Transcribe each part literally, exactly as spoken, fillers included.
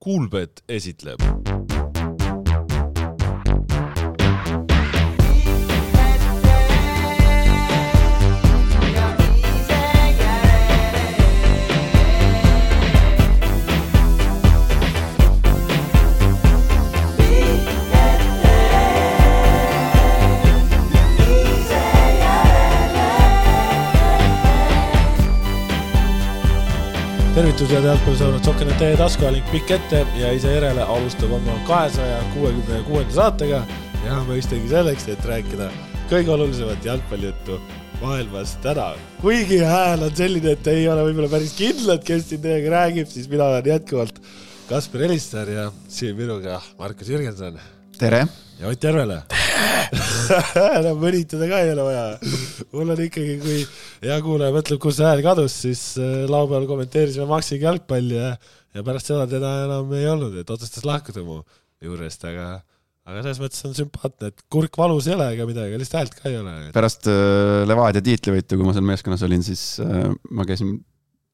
Kuulbet esitleb. Tervitused jalgpallisõbrad, Sokkenet teie taskualink pikk ette ja ise järele alustab oma kahesaja kuuekümne kuuenda saatega ja mõistagi selleks, et rääkida kõige olulisemat jalgpallijuttu maailmas täna. Kuigi hääl on selline, et ei ole võib-olla päris kindlad, kes siin teiega räägib, siis mina olen jätkuvalt Kasper Elistar ja siin minuga Markus Jürgenson. Tere! Ja Ott Järvele. Enam mõnitada ka ei ole vaja. Mul on ikkagi, kui hea kuulaja mõtleb, kus hääl kadus, siis laupäeval kommenteerisime Maksiga jalgpalli ja, ja pärast seda teda enam ei olnud, et otsustas lahkuda mu juurest, aga, aga selles mõttes on sümpaatne, et kurk valus ei ole ega midagi, lihtsalt häält ka ei ole. Pärast äh, Levadia tiitlivõitu, kui ma seal meeskonnas olin, siis äh, ma käisin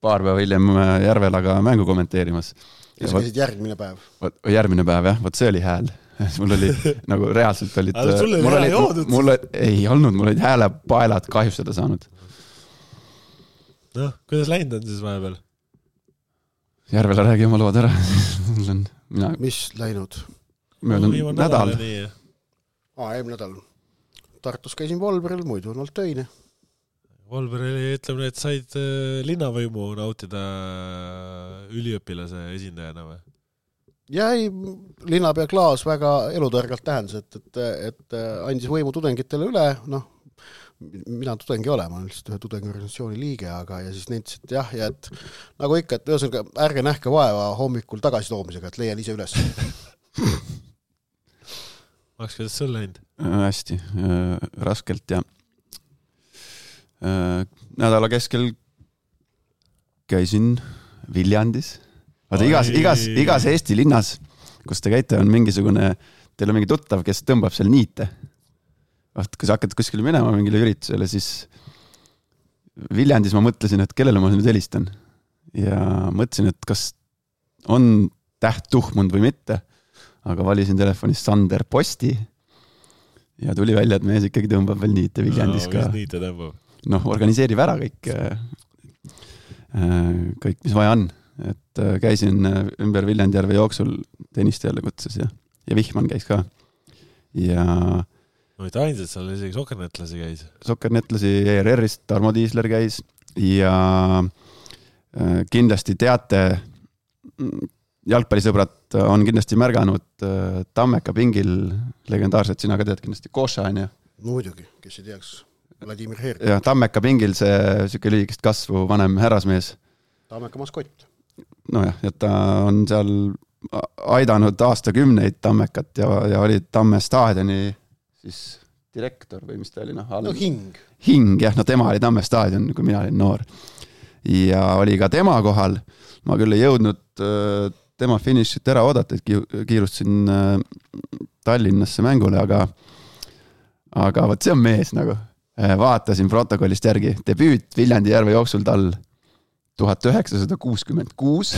paar päeva hiljem Järvelaga mängu kommenteerimas. Ja sa käisid järgmine päev? Võt, järgmine päev, jah, võt see oli hääl. Mul oli, nagu reaalselt olid... Aga sul oli hääle joodud? Mul ei olnud, mul olid häälepaelad kahjustada saanud. Noh, kuidas läinud on siis vahepeal? Järvele räägi oma lood ära. Mina... Mis läinud? Möödun no, nädal. Aa, eelmine nädal. Tartus käisin Volberil, muidu on olnud töine. Volberil ütleme, et said linnavõimu nautida üliõpilase esindajana või? Ja ei, linnapea Klaas väga elutõrgalt tähendas, et, et, et andis võimu tudengitele üle, noh, mina tudengi ole, ma olen lihtsalt ühe tudengiorganisatsiooni liige, aga ja siis nentis, et jah, ja et nagu ikka, et ühesõnaga ärge nähke vaeva hommikul tagasi toomisega, et leian ise üles. Maks, kuidas sul läinud? Hästi, äh, raskelt ja äh, nädala keskel käisin Viljandis. Vaata, igas, igas, igas Eesti linnas, kus te käite, on mingisugune, teil on mingi tuttav, kes tõmbab seal niite. Vaat, kui sa hakkad kuskile minema mingile üritusele, siis Viljandis ma mõtlesin, et kellele ma nüüd helistan. Ja mõtlesin, et kas on täht tuhmund või mitte, aga valisin telefonis Sander Posti ja tuli välja, et mees ikkagi tõmbab veel niite Viljandis no, ka. Mis niite tõmbab? Noh, organiseerib ära kõik, kõik, mis vaja on. Et käisin ümber Viljandjärve jooksul tennistajale kutses ja, ja Vihman käis ka. Ja no mitte ainsad, seal isegi sokernetlasi käis. Sokernetlasi E R R-ist Tarmo Tiisler käis ja kindlasti teate, jalgpallisõbrad on kindlasti märganud Tammeka pingil legendaarset, sina ka tead kindlasti Koša, on ja? Muidugi, kes ei teaks, Vladimir Herk. Ja Tammeka pingil see süke lühikest kasvu vanem härrasmees. Tammeka maskott. No jah, et ta on seal aidanud aastakümneid Tammekat ja, ja oli Tamme staadioni siis direktor või mis ta oli? No, no hing. Hing, jah, no tema oli Tamme staadion, kui mina olin noor. Ja oli ka tema kohal. Ma küll ei jõudnud tema finišit ära oodata, et kiirustasin Tallinnasse mängule, aga, aga võt see on mees nagu. Vaatasin protokollist järgi. Debüüt Viljandi järve jooksul tal tuhat üheksasada kuuskümmend kuus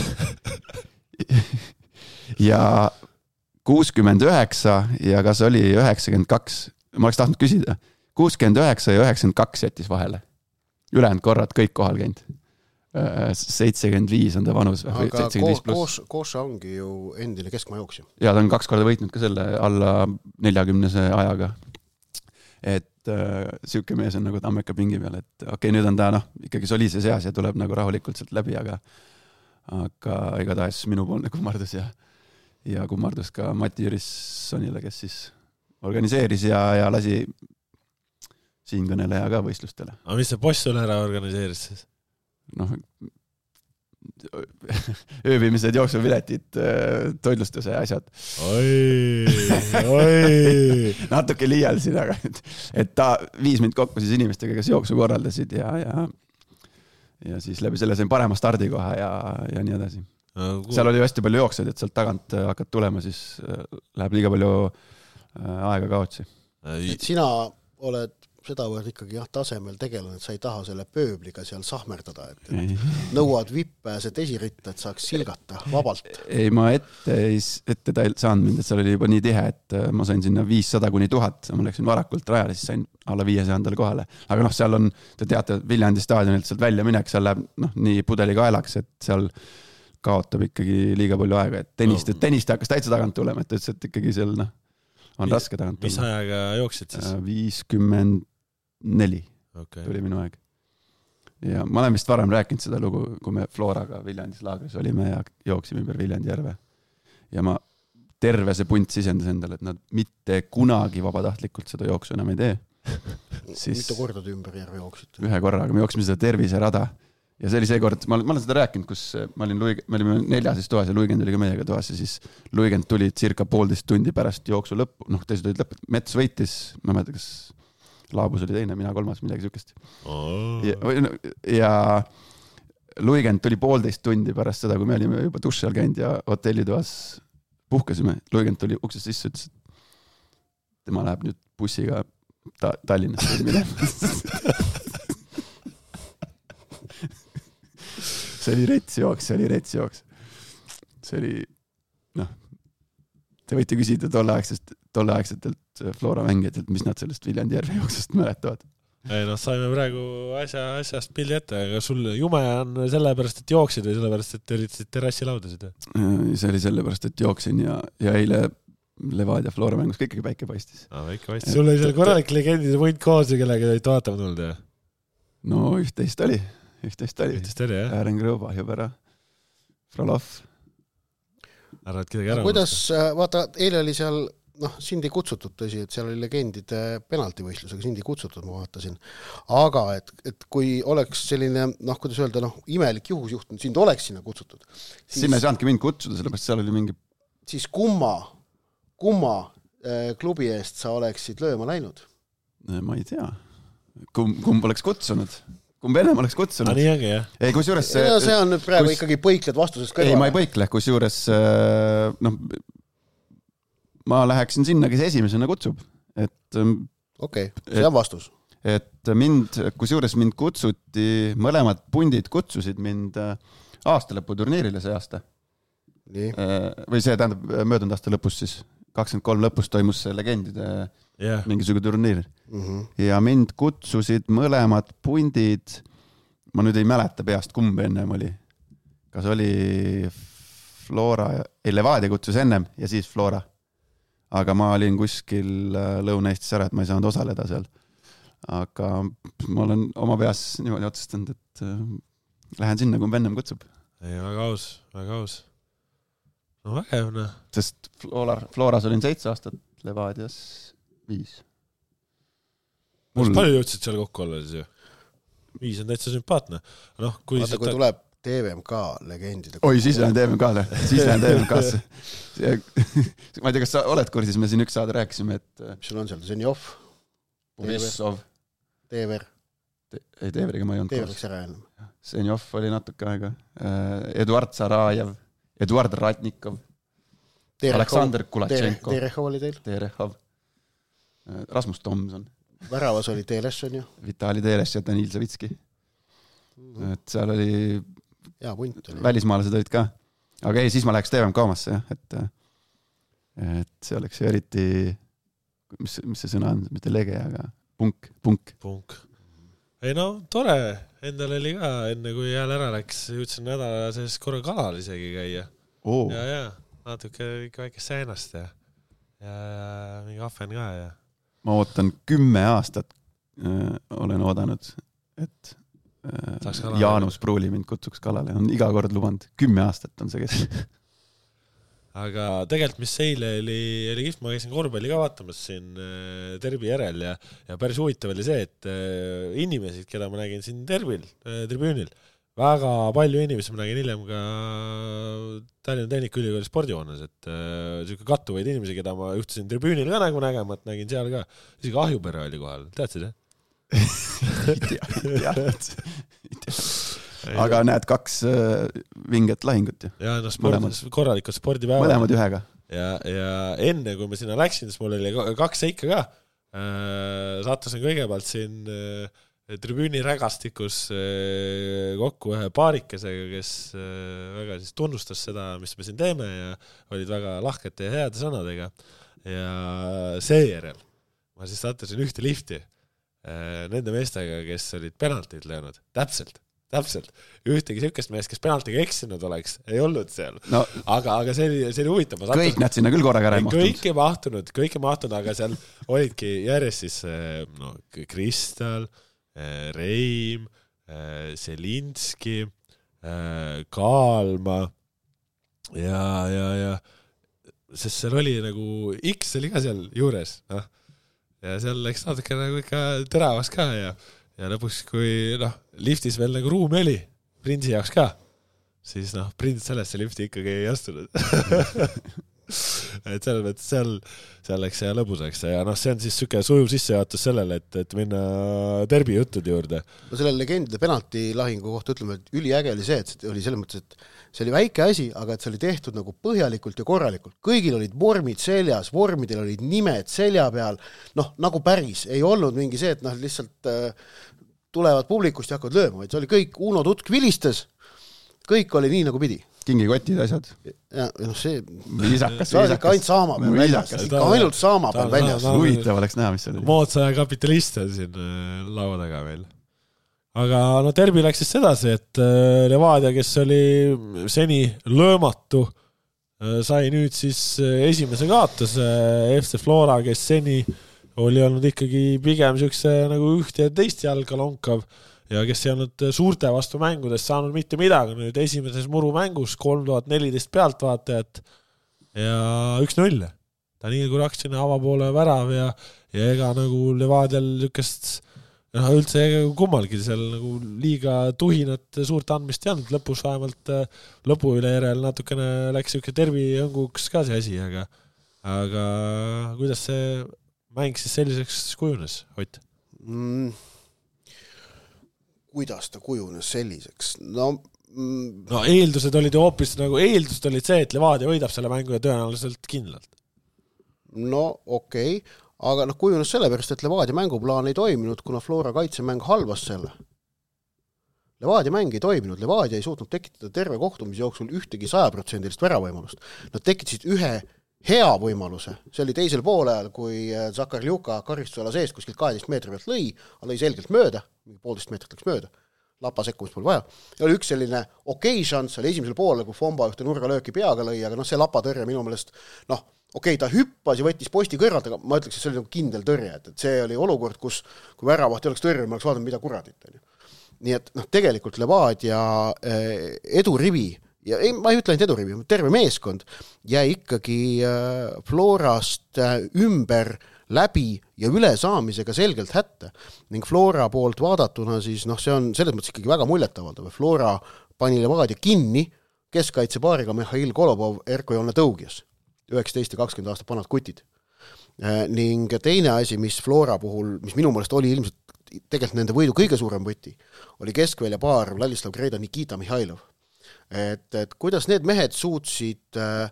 ja kuuskümmend üheksa ja kas oli üheksakümmend kaks, ma oleks tahtnud küsida, kuuskümmend üheksa ja üheksakümmend kaks jättis vahele. Ülejäänud korrad kõik kohal käinud. seitsekümmend viis on ta vanus. Aga Koša ongi ju endine keskmajooksja. Ja ta on kaks korda võitnud ka selle alla neljakümnese ajaga. Et siuke mees on nagu Tammeka pingi peal, et okei, okay, nüüd on ta noh, ikkagi soliise seas ja tuleb nagu rahulikult sealt läbi, aga, aga igatahes minupoolne kummardus ja, ja kummardus ka Mati Jürissonile, kes siis organiseeris ja, ja lasi siinkõneleja ka võistlustele. Aga mis see boss sulle ära organiseeris siis? Noh, ööbimised, jooksupiletid, toidlustuse asjad. Oi, oi. Natuke liialsin, aga et, et ta viis mind kokku siis inimestega, kes jooksu korraldasid ja, ja, ja siis läbi selle sain parema stardikoha ja, ja nii edasi. No, seal oli hästi palju jooksed, et sealt tagant hakkad tulema, siis läheb liiga palju aega kaotsi. Et sina oled sedavõrd ikkagi jah, tasemel tegelane, et sa ei taha selle pööbliga seal sahmerdada, et, et nõuad vippääset esiritta, et saaks silgata vabalt. Ei, ma ette, ette ta ei saanud mind, et seal oli juba nii tihe, et ma sain sinna viissada kuni tuhat, ma läksin varakult rajale, siis sain alla viiesajandale kohale. Aga noh, seal on, te teate, Viljandi staadionilt sealt välja minek, seal läheb noh, nii pudeli kaelaks, et seal kaotab ikkagi liiga palju aega, et tennist, no. tennist hakkas täitsa tagant tulema, et ütles, et ikkagi seal noh, on mis, raske tagant tulla. Mis ajaga jooksid siis? viiskümmend neli okay. tuli minu aeg. Ja ma olen vist varem rääkinud seda lugu, kui me Floraga Viljandis laagris olime ja jooksime ümber Viljandi järve. Ja ma terve see punt sisendas endale, et nad mitte kunagi vabatahtlikult seda jooksu enam ei tee. Siis mitu korda te ümber järve jooksid? Ühe korra, aga me jooksime seda terviserada. Ja see oli see kord, ma, ma olen seda rääkinud, kus ma olin Luig, me olime neljases toas ja Luigend oli ka meiega toas ja siis Luigend tuli circa poolteist tundi pärast jooksu lõppu, noh teised olid lõppu, Mets võitis, ma mõtlen, kas Laabus oli teine, mina kolmas, midagi sükest. Oh. Ja, ja Luigend tuli poolteist tundi pärast seda, kui me olime juba duši all käinud ja hotellitoas puhkasime. Luigend tuli uksest sisse, ütles, et tema läheb nüüd bussiga ta, Tallinnasse minema. See oli retsjooks, see oli retsjooks. See oli, noh, te võite küsida tolleaegsest, tolleaegsetelt Flora mängijatelt, mis nad sellest Viljandi järve jooksest mäletavad. Ei noh, saime praegu asja, asjast pildi ette, aga sul jume on sellepärast, et jooksid või sellepärast, et üritasid terrassi laudasid? See oli sellepärast, et jooksin ja, ja eile Levadia Flora mängus kõik päike paistis. Ah, väike paistis. Sul oli seal korralik legendide võint koos ja kellega olid vaatama tulnud, jah? No üht-teist oli. Üht-teist oli. Üht-teist oli, jah? Äären Grõuba, Jõbera, Frolov. Arvad kedagi ära? Kuidas, vaata, eile oli seal, noh, sind ei kutsutud tõsi, et seal oli legendide penaltivõistlusega, sind ei kutsutud, ma vaatasin. Aga, et, et kui oleks selline, noh, kuidas öelda, noh, imelik juhus juhtunud, sind oleks sinna kutsutud. Siis, sinna ei saanudki mind kutsuda, sellepärast seal oli mingi... Siis kumma, kumma äh, klubi eest sa oleksid lööma läinud? Ma ei tea. Kumb, kumb oleks kutsunud? Kumb ennem oleks kutsunud? Ah, nii ongi, jah. Ei, kus juures... Ja, see on nüüd praegu kus... ikkagi põikled vastusest kõrval. Ei, ma ei põikle, kus juures... Noh, ma läheksin sinna, kes esimesena kutsub. Et, okei, okay, see on vastus. Et mind, kus juures mind kutsuti, mõlemad pundid kutsusid mind aastalõpu turniirile see aasta. Nii. Või see tähendab möödunud aasta lõpus siis. kakskümmend kolm lõpus toimus see legendide yeah. mingisugune turniir. Mm-hmm. Ja mind kutsusid mõlemad pundid, ma nüüd ei mäleta peast, kumb ennem oli. Kas oli Flora, ei Levadia kutsus ennem ja siis Flora. Aga ma olin kuskil Lõuna-Eestis ära, et ma ei saanud osaleda seal. Aga ma olen oma peas niimoodi otsustanud, et lähen sinna, kumb ennem kutsub. Ei, väga aus, väga aus. No vägev, noh. Sest Flora, Floras olin seitse aastat, Levadias viis. Mul... palju jõudsid seal kokku olla siis ju? Viis on täitsa sümpaatne. No, kui vaata, kui ta... tuleb T V M K legendide... Oi, siis lähen T V M K-le. Siis lähen T V M K-sse. Ma ei tea, kas sa oled kursis, me siin üks saade rääkisime, et... Mis sul on seal? Zenjov? Borissov? Teever? Ei, Teeveriga ma ei olnud koos. Zenjov oli natuke aega. Eduard Sarajev. Eduard Ratnikov, Terehov, Aleksander Kulatšenko, Terehov oli teil? Terehov, Rasmus Tomson. Väravas oli Teles, on ju? Vitali Teles ja Danil Savitski. Mm-hmm. Et seal oli, ja, punt oli. Välismaalased olid ka. Aga ei, siis ma läheks T V M K-masse, jah, et, et see oleks ju eriti, mis, mis see sõna on, mitte lege, aga punk, punk. Punk. Ei no, tore. Endal oli ka, enne kui jääl ära läks, jõudsin nädala sees korra kalal isegi käia. Oh. Ja, ja, natuke ikka väikest seenast ja, ja, ja mingi ahven ka. Ja. Ma ootan kümme aastat, äh, olen oodanud, et äh, Jaanus Pruuli mind kutsuks kalale. On iga kord lubanud. Kümme aastat on see kes. Aga tegelikult, mis eile oli, oli kihvt, ma käisin korvpalli ka vaatamas siin äh, Terbi järel ja, ja päris huvitav oli see, et äh, inimesed, keda ma nägin siin Terbil, äh, tribüünil, väga palju inimesi ma nägin hiljem ka Tallinna Tehnikaülikooli spordihoones, et äh, selline kattuvaid inimesi, keda ma juhtusin tribüünil ka nagu nägema, et nägin seal ka, isegi Ahjupere oli kohal, teadsid, jah? ei tea, ei tea, ei tea. Aga näed kaks äh, vinget lahingut ju. Ja no sport, korralikud spordipäevad. Mõlemad ühega. Ja, ja enne kui me sinna läksin, siis mul oli kaks seika ka. sattusin kõigepealt siin tribüüni rägastikus kokku ühe paarikesega, kes väga siis tunnustas seda, mis me siin teeme ja olid väga lahkete ja heade sõnadega. Ja seejärel ma siis sattusin ühte lifti nende meestega, kes olid penaltid löönud. Täpselt, täpselt. Ühtegi sükest meest, kes penaltiga eksinud oleks, ei olnud seal. No, aga, aga see oli, see oli huvitav. Kõik nad sinna küll korraga ära ei mahtunud. Kõik ei mahtunud, kõik ei mahtunud, aga seal olidki järjest siis no, Kristal, Reim, Selinski, Kaalma ja, ja, ja sest seal oli nagu X oli ka seal juures, noh. Ja seal läks natuke nagu ikka teravaks ka ja, ja lõpuks, kui noh, liftis veel nagu ruumi oli, Prinsi jaoks ka, siis noh, Prins sellesse lifti ikkagi ei astunud. et selles mõttes seal, seal läks ja lõbusaks ja noh, see on siis süke sujuv sissejuhatus sellele, et, et minna derbi jutud juurde. No selle legendide penaltilahingu kohta ütleme, et üliäge oli see, et see oli selles mõttes, et see oli väike asi, aga et see oli tehtud nagu põhjalikult ja korralikult. Kõigil olid vormid seljas, vormidel olid nimed selja peal, noh, nagu päris. Ei olnud mingi see, et noh, lihtsalt äh, tulevad publikust ja hakkavad lööma, vaid see oli kõik Uno Tutk vilistas, kõik oli nii nagu pidi. Kingikotid asjad. Ja noh, see... Viisakas, see oli ikka ainult saama peal väljas. Ikka ainult saama peal väljas. Huvitav oleks näha, mis see oli. Moodsa ja kapitalist on siin laua taga veel. Aga no derbi läks siis sedasi, et Levadia, kes oli seni löömatu, sai nüüd siis esimese kaotuse. F C Flora, kes seni oli olnud ikkagi pigem sükse nagu üht ja teist jalga lonkav ja kes ei olnud suurte vastu mängudest saanud mitte midagi. Nüüd esimeses muru mängus kolm tuhat neliteist pealtvaatajat ja üks null. Daniel Kurak sinna avapoole värav ja, ja ega nagu Levadial niisugust no, üldse kummalgi seal nagu liiga tuhinat suurt andmist ei olnud. Lõpus vähemalt lõpu üle järel natukene läks niisugune tervi õnguks ka see asi, aga, aga kuidas see mäng siis selliseks kujunes, Ott? Mm. Kuidas ta kujunes selliseks? No, mm... no eeldused olid ju hoopis nagu, eeldused olid see, et Levadia võidab selle mängu ja tõenäoliselt kindlalt. No okei, okay. Aga noh, kujunes sellepärast, et Levadia mänguplaan ei toiminud, kuna Flora kaitsemäng halvas selle. Levadia mäng ei toiminud, Levadia ei suutnud tekitada terve kohtumise jooksul ühtegi sajaprotsendilist väravõimalust. Nad tekitasid ühe hea võimaluse. See oli teisel poolel, kui Zakar Ljuka karistusala sees kuskilt kaheteist meetri pealt lõi, aga lõi selgelt mööda, poolteist meetrit läks mööda, lapa sekkumist pole vaja. Ja oli üks selline okei šanss, oli esimesel poolel, kui Fomba ühte nurgalööki peaga lõi, aga noh, see lapatõrje minu meelest, noh, okei, ta hüppas ja võttis posti kõrvalt, aga ma ütleks, et see oli nagu kindel tõrje, et, et see oli olukord, kus kui väravaht ei oleks tõrje, ma oleks vaadanud, mida kuradit. Nii et noh, tegelikult Levadia edurivi ja ei, ma ei ütle ainult edurivi, terve meeskond jäi ikkagi Florast ümber läbi ja üle saamisega selgelt hätte. Ning Flora poolt vaadatuna siis, noh, see on selles mõttes ikkagi väga muljetavaldav. Flora pani Levadia kinni keskkaitsepaariga Mihhail Kolobov, Erko Joone Tõugias, üheksateist ja kakskümmend aastat vanad kutid. Ning teine asi, mis Flora puhul, mis minu meelest oli ilmselt tegelikult nende võidu kõige suurem võti, oli keskvälja paar Vladislav Greida, Nikita Mihhailov. Et, et kuidas need mehed suutsid äh,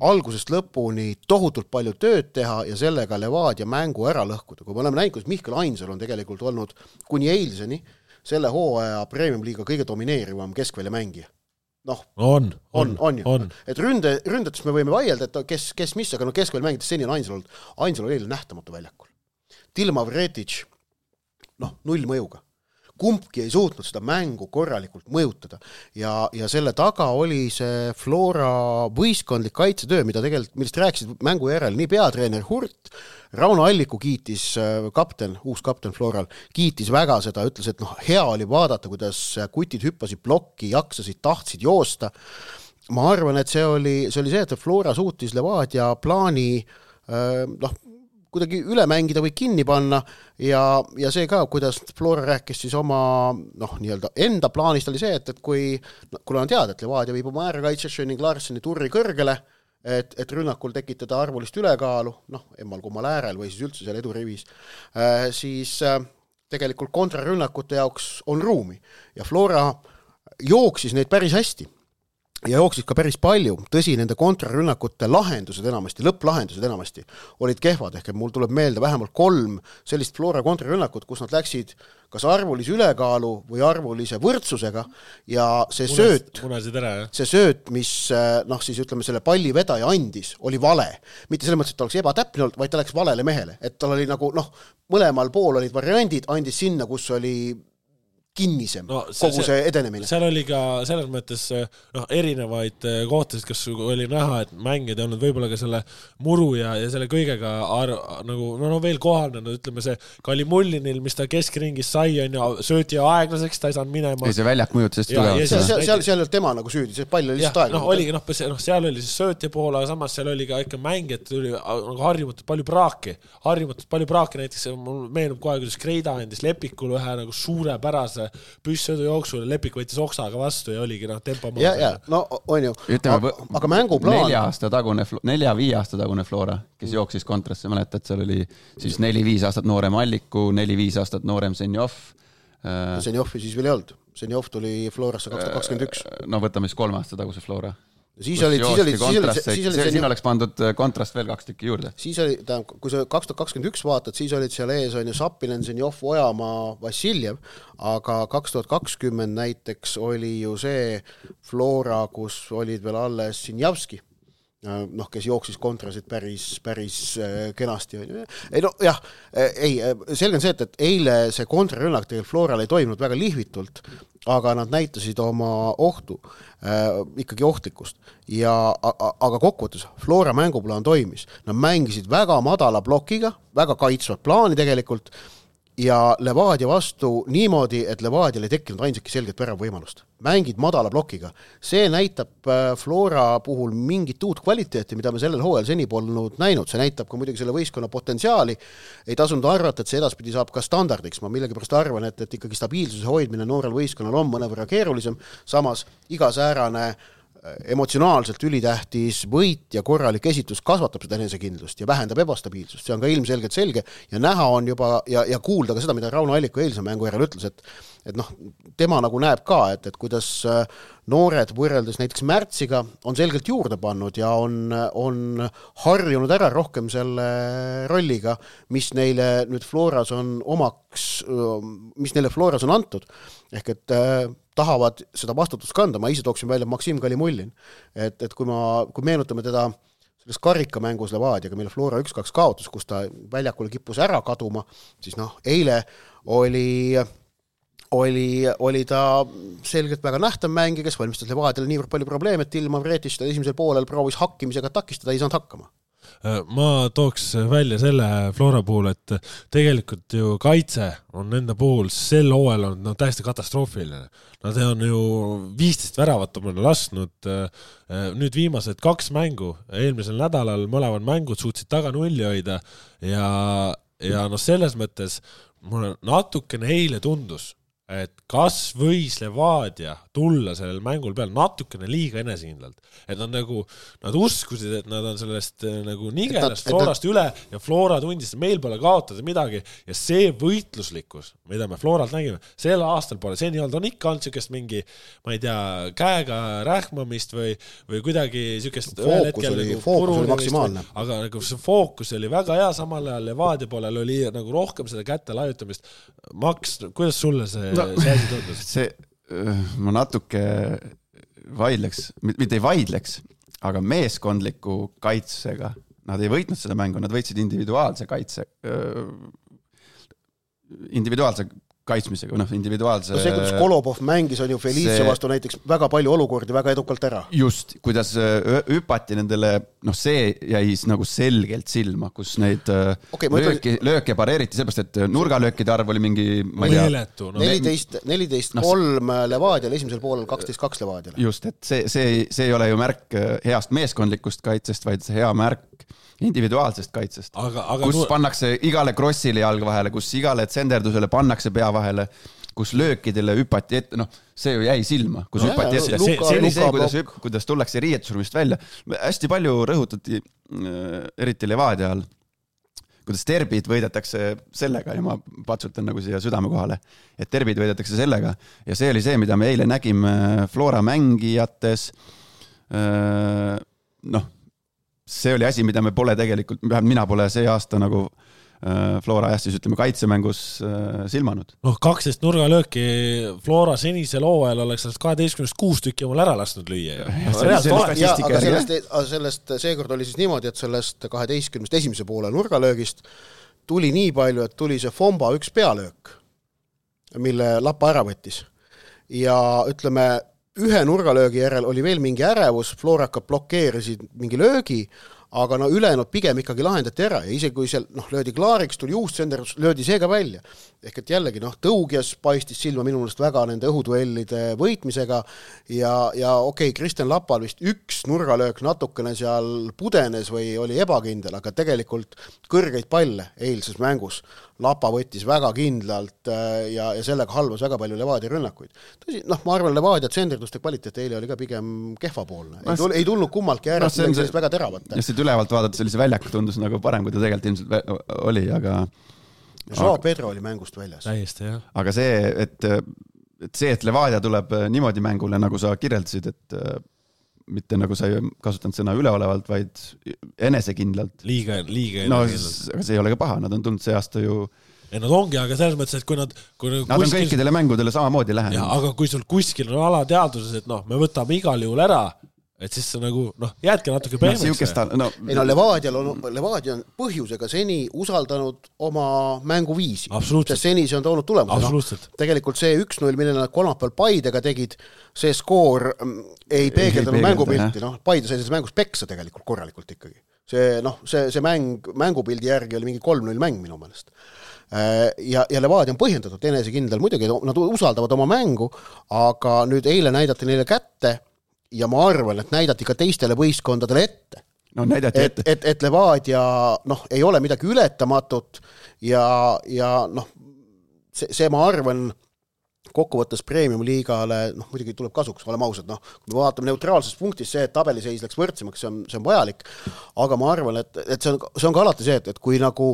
algusest lõpuni tohutult palju tööd teha ja sellega Levadia mängu ära lõhkuda. Kui me oleme näinud, kuidas Mihkel Ainsal on tegelikult olnud kuni eilseni selle hooaja Premium-liiga kõige domineerivam keskvälja mängija. Noh, on, on, on, on, on. Et ründe, ründates me võime vaielda, et kes, kes mis, aga no keskvälja mängides seni on Ainsal olnud. Ainsal oli eile nähtamatu väljakul. Tilma Vretic, noh, null mõjuga. Kumbki ei suutnud seda mängu korralikult mõjutada ja, ja selle taga oli see Flora võistkondlik kaitsetöö, mida tegelikult, millest rääkisid mängu järel nii peatreener Hurt, Rauno Alliku kiitis kapten, uus kapten Floral, kiitis väga seda, ütles, et noh, hea oli vaadata, kuidas kutid hüppasid plokki, jaksasid, tahtsid joosta. Ma arvan, et see oli see, oli see et Flora suutis Levadia plaani noh, kuidagi üle mängida või kinni panna ja, ja see ka, kuidas Flora rääkis siis oma noh, nii-öelda enda plaanist oli see, et, et kui, no, kui on teada, et Levadia viib oma äärekaitse ning Larseni turri kõrgele, et, et rünnakul tekitada arvulist ülekaalu, noh, emmal kummal äärel või siis üldse seal edurivis, äh, siis äh, tegelikult kontrarünnakute jaoks on ruumi ja Flora jooksis neid päris hästi. ja jooksis ka päris palju, tõsi, nende kontrarünnakute lahendused enamasti, lõpplahendused enamasti olid kehvad, ehk mul tuleb meelde vähemalt kolm sellist Flora kontrarünnakut, kus nad läksid kas arvulise ülekaalu või arvulise võrdsusega ja see Munes, sööt, ära, see sööt, mis noh, siis ütleme, selle palli vedaja andis, oli vale. Mitte selles mõttes, et ta oleks ebatäpne olnud, vaid ta läks valele mehele. Et tal oli nagu, noh, mõlemal pool olid variandid, andis sinna, kus oli kinnisem no, see, kogu see edenemine. Seal oli ka selles mõttes noh, erinevaid kohtasid, kas oli näha, et mängid ei olnud võib-olla ka selle muru ja, ja selle kõigega ar, nagu, no, no veel kohal, no, ütleme see Kalimullinil, mis ta keskringis sai, on ju, sööti aeglaseks, ta ei saanud minema. Ei, see väljak mõjutas tugevalt. Seal, seal, seal, seal oli tema nagu süüdi, see pall oli lihtsalt aeglaseks. No, oli, no, no, seal oli siis söötja pool, aga samas seal oli ka ikka mängijad, tuli nagu harjumatult palju praaki. Harjumatult palju praaki, näiteks mul meenub kohe, kuidas Kreida andis Lepikul ühe nagu suurepärase püssõdu jooksul, Lepik võttis oksaga vastu ja oligi noh, tempo maha. Ja, ja, no on ju, Ütleme, aga, aga mänguplaan... Nelja aasta tagune, nelja-viie aasta tagune Flora, kes mm. jooksis kontrasse, mäletad, seal oli siis neli-viis aastat noorem Alliku, neli-viis aastat noorem Senjov. Senjovi siis veel ei olnud. Senjov tuli Florasse kaks tuhat kakskümmend üks. No võtame siis kolme aasta taguse Flora. Siis oli, siis oli, siis oli, siis oli, siin oleks pandud kontrast veel kaks tükki juurde. Siis oli, tähendab, kui sa kaks tuhat kakskümmend üks vaatad, siis olid seal ees on ju Sapinen, Senjov, Ojamaa, Vassiljev, aga kaks tuhat kakskümmend näiteks oli ju see Flora, kus olid veel alles Sinjavski, noh, kes jooksis kontrasid päris, päris kenasti. Ei, no jah, ei, selge on see, et, et eile see kontrarünnak tegelikult Floral ei toimunud väga lihvitult, aga nad näitasid oma ohtu, äh, ikkagi ohtlikkust. Ja, aga kokkuvõttes Flora mänguplaan toimis. Nad mängisid väga madala blokiga, väga kaitsvat plaani tegelikult ja Levadia vastu niimoodi, et Levadial ei tekkinud ainsaki selget värav võimalust. Mängid madala blokiga. See näitab Flora puhul mingit uut kvaliteeti, mida me sellel hooajal seni polnud näinud. See näitab ka muidugi selle võistkonna potentsiaali. Ei tasunud arvata, et see edaspidi saab ka standardiks. Ma millegipärast arvan, et, et ikkagi stabiilsuse hoidmine noorel võistkonnal on mõnevõrra keerulisem. Samas iga säärane emotsionaalselt ülitähtis võit ja korralik esitus kasvatab seda enesekindlust ja vähendab ebastabiilsust. See on ka ilmselgelt selge ja näha on juba ja, ja kuulda ka seda, mida Rauno Alliku eilse mängu järel ütles, et, et noh, tema nagu näeb ka, et, et kuidas noored võrreldes näiteks märtsiga on selgelt juurde pannud ja on, on harjunud ära rohkem selle rolliga, mis neile nüüd Floras on omaks, mis neile Floras on antud. Ehk et äh, tahavad seda vastutust kanda, ma ise tooksin välja Maksim Kalimullin, et, et kui, ma, kui meenutame teda selles karikamängus Levadiaga, mille Flora üks kaks kaotus, kus ta väljakule kippus ära kaduma, siis noh, eile oli, oli, oli ta selgelt väga nähtav mängi, kes valmistas Levadiale niivõrd palju probleeme, et ilma Vreetist ta esimesel poolel proovis hakkimisega takistada, ei saanud hakkama. Ma tooks välja selle Flora puhul, et tegelikult ju kaitse on enda puhul sel hooajal on no, täiesti katastroofiline. Nad on ju viisteist väravat omale lasknud nüüd viimased kaks mängu. Eelmisel nädalal mõlevad mängud suutsid taga nulli hoida ja, ja no selles mõttes mulle natukene eile tundus, et kas võis Levadia tulla sellel mängul peal natukene liiga enesekindlalt. Et nad nagu, nad uskusid, et nad on sellest nagu nigelast Florast üle ja Flora tundis, et meil pole kaotada midagi ja see võitluslikkus, mida me Floralt nägime, sel aastal pole seni olnud, on ikka olnud sükest mingi, ma ei tea, käega rähmamist või, või kuidagi sükest ühel hetkel oli, nagu fookus oli maksimaalne. Aga nagu see fookus oli väga hea, samal ajal Levadia poolel oli nagu rohkem seda kätte laiutamist. Maks, kuidas sulle see no, see asi tundus? See, ma natuke vaidleks, mitte ei vaidleks, aga meeskondliku kaitsega, nad ei võitnud seda mängu, nad võitsid individuaalse kaitse, individuaalse kaitsmisega, noh, individuaalse... No see, kuidas Kolobov mängis, on ju Felice see... vastu näiteks väga palju olukordi väga edukalt ära. Just, kuidas hüpati nendele, noh, see jäi nagu selgelt silma, kus neid okay, lööki, ütlen... lööke pareeriti, sellepärast, et nurgalöökide arv oli mingi, ma ei tea... Meeletu, no. neliteist, neliteist no, kolm Levadial, esimesel poolel kaksteist kaks Levadial. Just, et see, see, see ei ole ju märk heast meeskondlikust kaitsest, vaid hea märk individuaalsest kaitsest, aga, aga kus nu... pannakse igale krossile jalg vahele, kus igale tsenderdusele pannakse pea vahele, kus löökidele hüpati ette, noh, see ju jäi silma, kus no, hüpati ette. See, see oli see, kuidas, hüp, kuidas tullakse riietusruumist välja. Hästi palju rõhutati, eriti Levadia all, kuidas terbid võidetakse sellega ja ma patsutan nagu siia südame kohale, et terbid võidetakse sellega ja see oli see, mida me eile nägime Flora mängijates, noh, see oli asi, mida me pole tegelikult, mina pole see aasta nagu Flora jah, siis ütleme kaitsemängus silmanud. Noh, kaksteist nurgalööki Flora senisel hooajal oleks sellest kaheteistkümnest kuus tükki omal ära lasknud lüüa. Ja, ja, aga sellest, sellest seekord oli siis niimoodi, et sellest kaheteistkümnest esimese poole nurgalöögist tuli nii palju, et tuli see Fomba üks pealöök, mille Lapa ära võttis. Ja ütleme, ühe nurgalöögi järel oli veel mingi ärevus, Florakad blokeerisid mingi löögi, aga no ülejäänud pigem ikkagi lahendati ära ja isegi kui seal noh, löödi klaariks, tuli uus senderdus, löödi see ka välja. Ehk et jällegi noh, Tõugjas paistis silma minu meelest väga nende õhuduellide võitmisega ja, ja okei, okay, Kristjan Lapal vist üks nurgalöök natukene seal pudenes või oli ebakindel, aga tegelikult kõrgeid palle eilses mängus Lapa võttis väga kindlalt ja, ja sellega halvas väga palju Levadia rünnakuid. Tõsi, noh, ma arvan, Levadia tsenderduste kvaliteet eile oli ka pigem kehvapoolne. Ei, tul, ei tulnud kummaltki ära, no, see väga teravat. Ja siit ülevalt vaadata sellise väljaku tundus nagu parem, kui ta tegelikult ilmselt oli, aga... Joao Pedro oli mängust väljas. Täiesti, jah. Aga see, et, et see, et Levadia tuleb niimoodi mängule, nagu sa kirjeldasid, et mitte nagu sa ei kasutanud sõna üleolevalt, vaid enesekindlalt. Liiga, liiga no, aga see ei ole ka paha, nad on tulnud see aasta ju... Ja nad ongi, aga selles mõttes, et kui nad... Kui nad kuskil... on kõikidele mängudele samamoodi lähenud. Ja, aga kui sul kuskil on alateadvuses, et noh, me võtame igal juhul ära, et siis see nagu, noh, jäädki natuke pehmeks. No, ei no Levadial on, Levadia on põhjusega seni usaldanud oma mänguviisi. Absoluutselt. Seni see on toonud tulemus. Absoluutselt. No, tegelikult see üks null, mille nad kolmapäeval Paidega tegid, see skoor ei peegeldanud mängupilti. No, Paide sai selles mängus peksa tegelikult korralikult ikkagi. See, noh, see, see mäng, mängupildi järgi oli mingi kolm null mäng minu meelest. Ja, ja Levadia on põhjendatud enesekindel, muidugi nad usaldavad oma mängu, aga nüüd eile näidati neile kätte ja ma arvan, et näidati ka teistele võistkondadele ette. No, näidati ette. Et, et, et Levadia noh, ei ole midagi ületamatut ja, ja noh, see, see ma arvan kokkuvõttes premium-liigale, noh, muidugi tuleb kasuks, oleme ausad, noh, kui me vaatame neutraalses punktis see, et tabeliseis läks võrdsemaks, see on, see on vajalik, aga ma arvan, et, et see, on, see on ka alati see, et, et kui nagu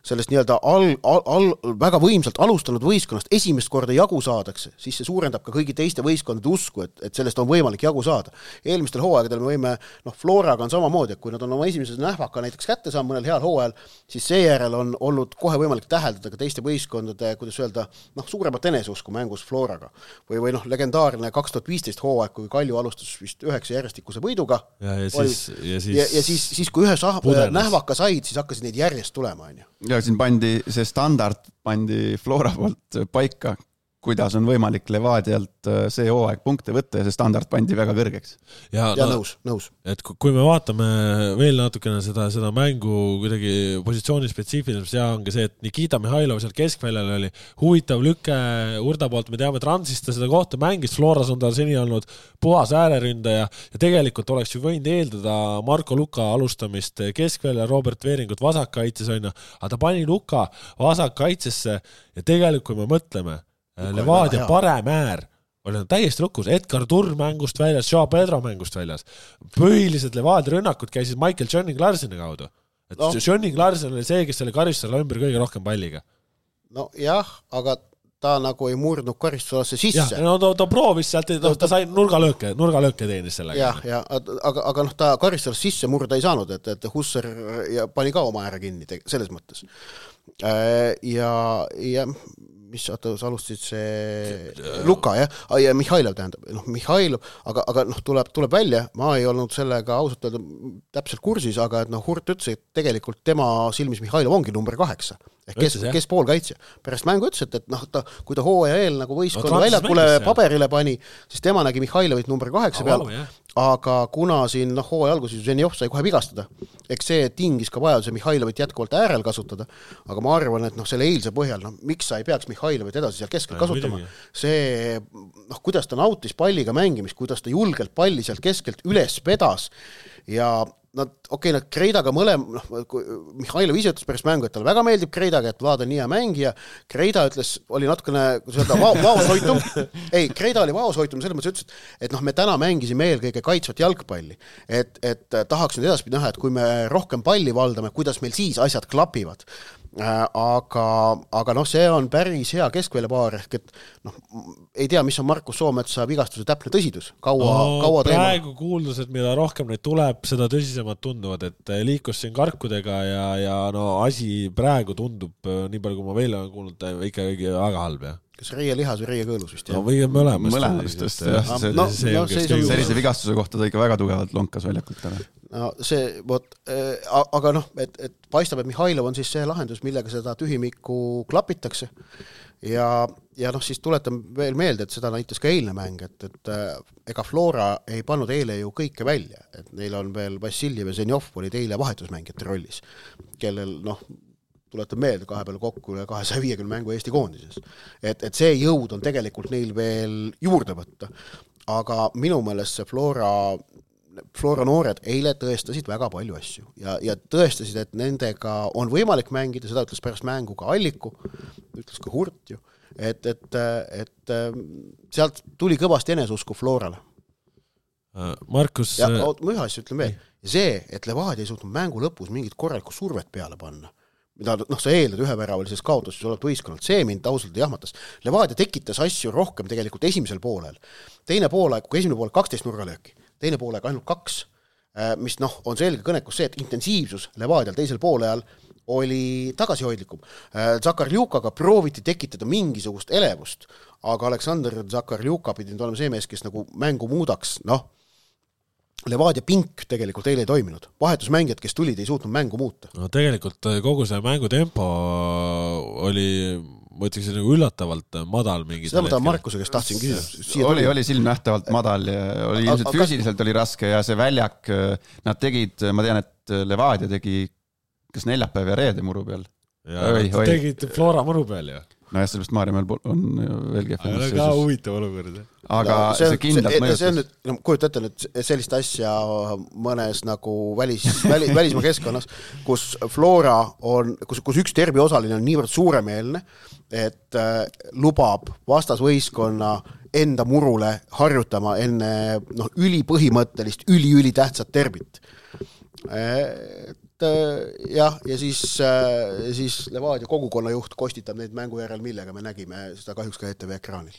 sellest nii-öelda al, al, al, väga võimsalt alustanud võistkonnast esimest korda jagu saadakse, siis see suurendab ka kõigi teiste võistkondade usku, et, et sellest on võimalik jagu saada. Eelmistel hooaegadel me võime, noh, Floraga on samamoodi, et kui nad on oma esimeses nähvaka näiteks kätte saanud mõnel heal hooajal, siis seejärel on olnud kohe võimalik täheldada ka teiste võistkondade, kuidas öelda, noh, suuremat eneseusku mängus Floraga. Või, või noh, legendaarne kaks tuhat viisteist hooaeg, kui Kalju alustas vist üheksa järjestikuse võiduga. Ja, ja siis, ja siis, ja, ja siis, siis kui ühe sah- nähvaka said, siis hakkasid neid järjest tulema. On ju. Ja siin pandi see standard, pandi Flora poolt paika, kuidas on võimalik Levadialt see hooaeg punkte võtta ja see standard pandi väga kõrgeks. Ja, ja no, nõus, nõus. Et kui me vaatame veel natukene seda, seda mängu kuidagi positsiooni spetsiifiliseks, ja ongi see, et Nikita Mihhailov seal keskväljal oli huvitav lüke Urda poolt, me teame, et Ransista seda kohta mängis, Floras on tal seni olnud puhas ääreründaja ja tegelikult oleks ju võinud eeldada Marko Luka alustamist keskväljal, Robert Veeringut vasakkaitses on, aga ta pani Luka vasakkaitsesse ja tegelikult, kui me mõtleme, Levadia parem äär oli täiesti lukus, Edgar Turr mängust väljas, Joao Pedro mängust väljas. Põhilised Levadia rünnakud käisid Michael Johnning Larseni kaudu. Et no. Johnning Larsen oli see, kes selle karistusele ümber kõige rohkem palliga. No jah, aga ta nagu ei murdnud karistusalasse sisse. Ja, no ta, ta proovis sealt, ta, ta sai nurgalööke, nurgalööke teenis sellega. Jah, ja, aga, aga noh, ta karistusalasse sisse murda ei saanud, et, et Husser ja pani ka oma ääre kinni selles mõttes. Ja, ja mis sa alustasid see Luka, jah, ja Mihhailov tähendab, noh, Mihhailov, aga, aga noh, tuleb, tuleb välja, ma ei olnud sellega ausalt öelda täpselt kursis, aga et noh, Hurt ütles, et tegelikult tema silmis Mihhailov ongi number kaheksa, ehk kes, kes poolkaitsja. Pärast mängu ütles, et, et noh, ta, kui ta hooaja eel nagu võistkonna no, väljakule paberile pani, siis tema nägi Mihhailovit number kaheksa peal, aga kuna siin noh, hooaja alguses Ženjov sai kohe vigastada, eks see tingis ka vajaduse Mihhailovit jätkuvalt äärel kasutada, aga ma arvan, et noh, selle eilse põhjal, noh, miks sa ei peaks Mihhailovit edasi seal keskel kasutama, see, noh, kuidas ta nautis palliga mängimist, kuidas ta julgelt palli sealt keskelt üles vedas ja nad, okei, nad Kreidaga mõlem, noh, Mihhailov ise ütles pärast mängu, et talle väga meeldib Kreidaga, et Vlad on nii hea mängija. Kreida ütles, oli natukene, kuidas öelda, va- vaoshoitum. Ei, Kreida oli vaoshoitum, selles mõttes ütles, et noh, me täna mängisime eelkõige kaitsvat jalgpalli. Et, et tahaks nüüd edaspidi näha, et kui me rohkem palli valdame, kuidas meil siis asjad klapivad. aga, aga noh, see on päris hea keskväljapaar, ehk et noh, ei tea, mis on Markus Soometsa vigastuse täpne tõsidus. Kaua, no, kaua praegu kuuldus, et mida rohkem neid tuleb, seda tõsisemad tunduvad, et liikus siin karkudega ja, ja no asi praegu tundub, nii palju kui ma veel olen kuulnud, ikkagi väga halb, jah. Kas reie lihas või reie kõõlus vist, jah? No või mõlemast. Mõlemast, just, jah. See, no, see, no, see on sellise vigastuse kohta ta ikka väga tugevalt lonkas väljakult ära. No see, võt, äh, aga noh, et, et paistab, et Mihhailov on siis see lahendus, millega seda tühimikku klapitakse ja, ja noh, siis tuletan veel meelde, et seda näitas ka eilne mäng, et, et äh, ega Flora ei pannud eile ju kõike välja, et neil on veel Vassiljev ja Zenjov olid eile vahetusmängijate rollis, kellel noh, tuletan meelde kahe peale kokku üle kahesaja viiekümne mängu Eesti koondises. Et, et see jõud on tegelikult neil veel juurde võtta. Aga minu meelest see Flora, Flora noored eile tõestasid väga palju asju ja, ja tõestasid, et nendega on võimalik mängida, seda ütles pärast mängu ka Alliku, ütles ka Hurt ju, et, et, et sealt tuli kõvasti eneseusku Florale. Markus... Ja oot, ma ühe asja ütlen veel. Ja see, et Levadia ei suutnud mängu lõpus mingit korralikku survet peale panna, mida noh, sa eeldad ühe väravalises kaotuses oled võistkonnalt, see mind ausalt jahmatas. Levadia tekitas asju rohkem tegelikult esimesel poolel. Teine poole, kui esimene poole kaksteist nurgalööki, teine poole ainult kaks, mis noh, on selge kõnekus see, et intensiivsus Levadial teisel poole ajal oli tagasihoidlikum. Zakarljukaga prooviti tekitada mingisugust elevust, aga Aleksandr Zakarljuka pidi nüüd olema see mees, kes nagu mängu muudaks, noh, Levadia pink tegelikult eile ei toiminud. Vahetusmängijad, kes tulid, ei suutnud mängu muuta. No tegelikult kogu see mängutempo oli, ma ütleks, nagu üllatavalt madal mingi. Seda ma tahan Markuse, kes tahtsin küsida. Oli, oli silmnähtavalt madal ja oli a, ilmselt a, füüsiliselt oli raske ja see väljak, nad tegid, ma tean, et Levadia tegi kas neljapäev ja reede muru peal. Ja oi, oi. Tegid Flora muru peal, jah. No jah, sellest Maarjamäel on veel kehvem. Aga ka huvitav olukord. Aga no, see, see kindlalt see, mõjutas. See on nüüd, no, kujuta ette nüüd sellist asja mõnes nagu välis, väli, välismaa keskkonnas, kus Flora on, kus, kus üks terbi osaline on niivõrd suuremeelne, et äh, lubab vastasvõistkonna enda murule harjutama enne noh, ülipõhimõttelist, üli-üli tähtsat terbit. Et jah, ja siis, siis Levadia kogukonna juht kostitab neid mängu järel, millega me nägime seda kahjuks ka E T V ekraanil.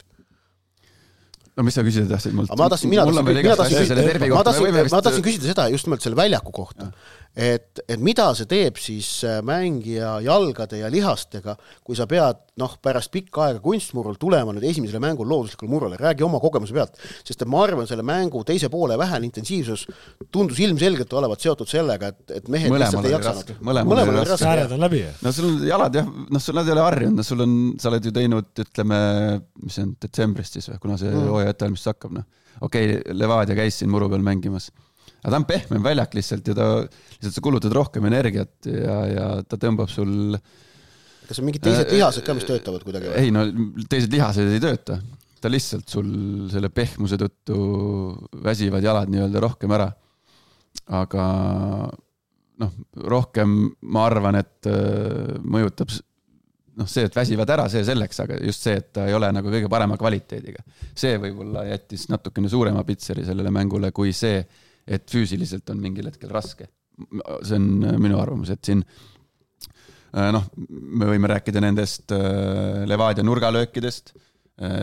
No mis sa küsida tahtsid? Mult, ma tahtsin, mina tahtsin, mina tahtsin, ma tahtsin, ma tahtsin küsida seda just nimelt selle väljaku kohta, et, et mida see teeb siis mängija jalgade ja lihastega, kui sa pead noh, pärast pikka aega kunstmurul tulema nüüd esimesele mängul looduslikule murule, räägi oma kogemuse pealt, sest ma arvan, selle mängu teise poole vähene intensiivsus tundus ilmselgelt olevat seotud sellega, et, et mehed lihtsalt ei jaksanud. Mõlemal oli raske. Sääred on läbi. No sul on jalad jah, noh sul nad ei ole harjunud, no sul on, sa oled ju teinud, ütleme, mis see on detsembrist siis või, kuna see mm. hooaja ettevalmistus hakkab, noh. Okei, okay, Levadia käis siin muru peal mängimas. Aga ta on pehmem väljak lihtsalt ja ta lihtsalt sa kulutad rohkem energiat ja, ja ta tõmbab sul... Kas on mingid teised lihased ka, mis töötavad kuidagi? Või? Ei, no teised lihased ei tööta. Ta lihtsalt sul selle pehmuse tõttu väsivad jalad nii-öelda rohkem ära. Aga noh, rohkem ma arvan, et mõjutab noh, see, et väsivad ära, see selleks, aga just see, et ta ei ole nagu kõige parema kvaliteediga. See võib-olla jättis natukene suurema pitseri sellele mängule kui see, et füüsiliselt on mingil hetkel raske. See on minu arvamus, et siin noh, me võime rääkida nendest Levadia nurgalöökidest,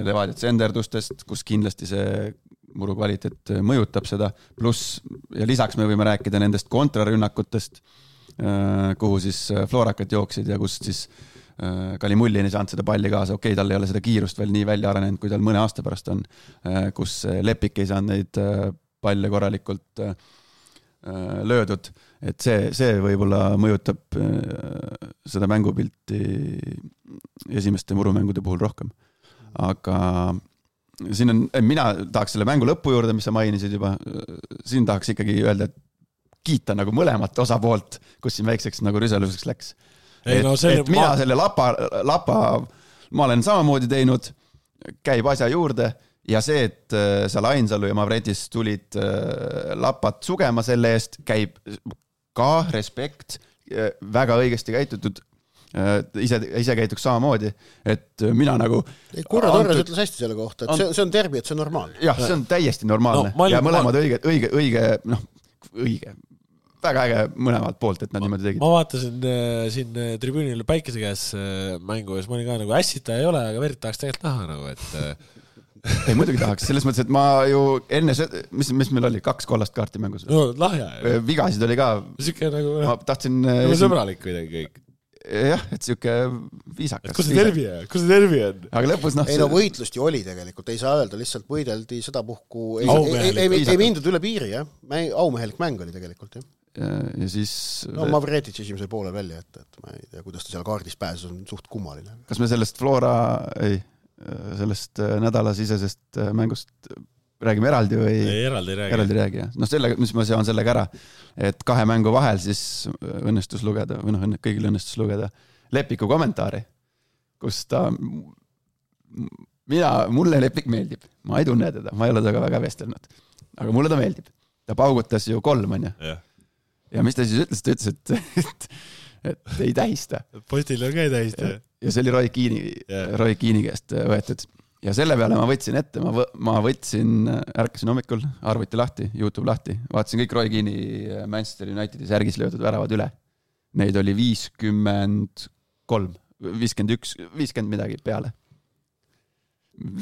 Levadia tsenderdustest, kus kindlasti see muru kvaliteet mõjutab seda, pluss ja lisaks me võime rääkida nendest kontrarünnakutest, kuhu siis Florakat jooksid ja kus siis Kalimullin ei saanud seda palli kaasa, okei, tal ei ole seda kiirust veel nii välja arenenud, kui tal mõne aasta pärast on, kus Lepik ei saanud neid palle korralikult löödud, et see, see võib-olla mõjutab seda mängupilti esimeste murumängude puhul rohkem. Aga siin on, mina tahaks selle mängu lõpu juurde, mis sa mainisid juba, siin tahaks ikkagi öelda, et kiita nagu mõlemat osapoolt, kus siin väikseks nagu rüseluseks läks. Ei, et, no selle, et mina ma... selle lapa, lapa, ma olen samamoodi teinud, käib asja juurde ja see, et seal Ainsalu ja Mavredis tulid lapat sugema selle eest, käib ka respekt, väga õigesti käitutud, ise, ise käituks samamoodi, et mina nagu... Kurra Torres ütles hästi selle kohta, et see, see on terbi, et see on normaalne. Jah, see on täiesti normaalne no, ja mõlemad õige, õige, õige, noh, õige väga äge mõlemalt poolt, et nad niimoodi tegid. Ma vaatasin äh, siin tribüünil Päikese käes äh, mängu ja siis ma olin ka nagu ässita ei ole, aga verd tahaks tegelikult näha nagu, et äh... ei muidugi tahaks, selles mõttes, et ma ju enne, mis, mis meil oli, kaks kollast kaarti mängus. No lahja. Vigasid oli ka. Siuke nagu, ma tahtsin nagu sõbralik kuidagi kõik. Jah, et siuke viisakas. Kus see tervi on? Kus see tervi on? Aga lõpus noh... Ei no võitlust ju oli tegelikult, ei saa öelda, lihtsalt võideldi seda puhku, ei, ei, ei, ei, ei mindud üle piiri, jah. Aumehelik mäng oli tegelikult, jah. Ja, ja siis... No Mavretitš esimesel poolel välja, et, et ma ei tea, kuidas ta seal kaardis pääses, on suht kummaline. Kas me sellest Flora, ei, sellest nädalasisesest mängust räägime eraldi või? Ei, eraldi räägi. Eraldi räägi, jah. No selle, mis ma sean sellega ära, et kahe mängu vahel siis õnnestus lugeda, või noh, kõigil õnnestus lugeda Lepiku kommentaari, kus ta, mina, mulle Lepik meeldib, ma ei tunne teda, ma ei ole taga väga vestelnud, aga mulle ta meeldib. Ta paugutas ju kolm, on ju. Ja. ja mis ta siis ütles, ta ütles, et, et, et ei tähista. Postil on ka ei tähista. Ja, ja see oli Roy Keani, yeah. Roy Keani käest võetud. Ja selle peale ma võtsin ette, ma, v- ma võtsin, ärkasin hommikul, arvuti lahti, YouTube lahti, vaatasin kõik Roy Keani Manchester Unitedi särgis löödud väravad üle. Neid oli viiskümmend kolm, viiskümmend üks, viiskümmend midagi peale.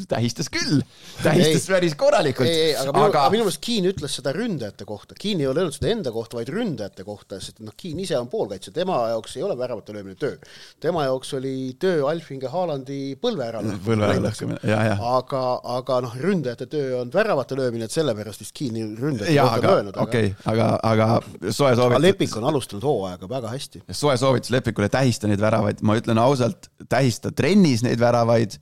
Tähistas küll, tähistas ei, päris korralikult. Ei, ei, aga minu, aga... minu meelest Keane ütles seda ründajate kohta. Keane ei ole öelnud seda enda kohta, vaid ründajate kohta, sest noh, Keane ise on poolkaitse. Tema jaoks ei ole väravate löömine töö. Tema jaoks oli töö Alfinge Haalandi põlve ära. Põlve ära lõhkumine, jah, jah. Aga, aga noh, ründajate töö on väravate löömine, et sellepärast vist Keane ründajate kohta on löönud. Okei, aga, aga soe soovitus... Lepik on alustanud hooaega väga hästi. Soe soovitus Lepikule tähista neid väravaid. Ma ütlen ausalt, tähista trennis neid väravaid,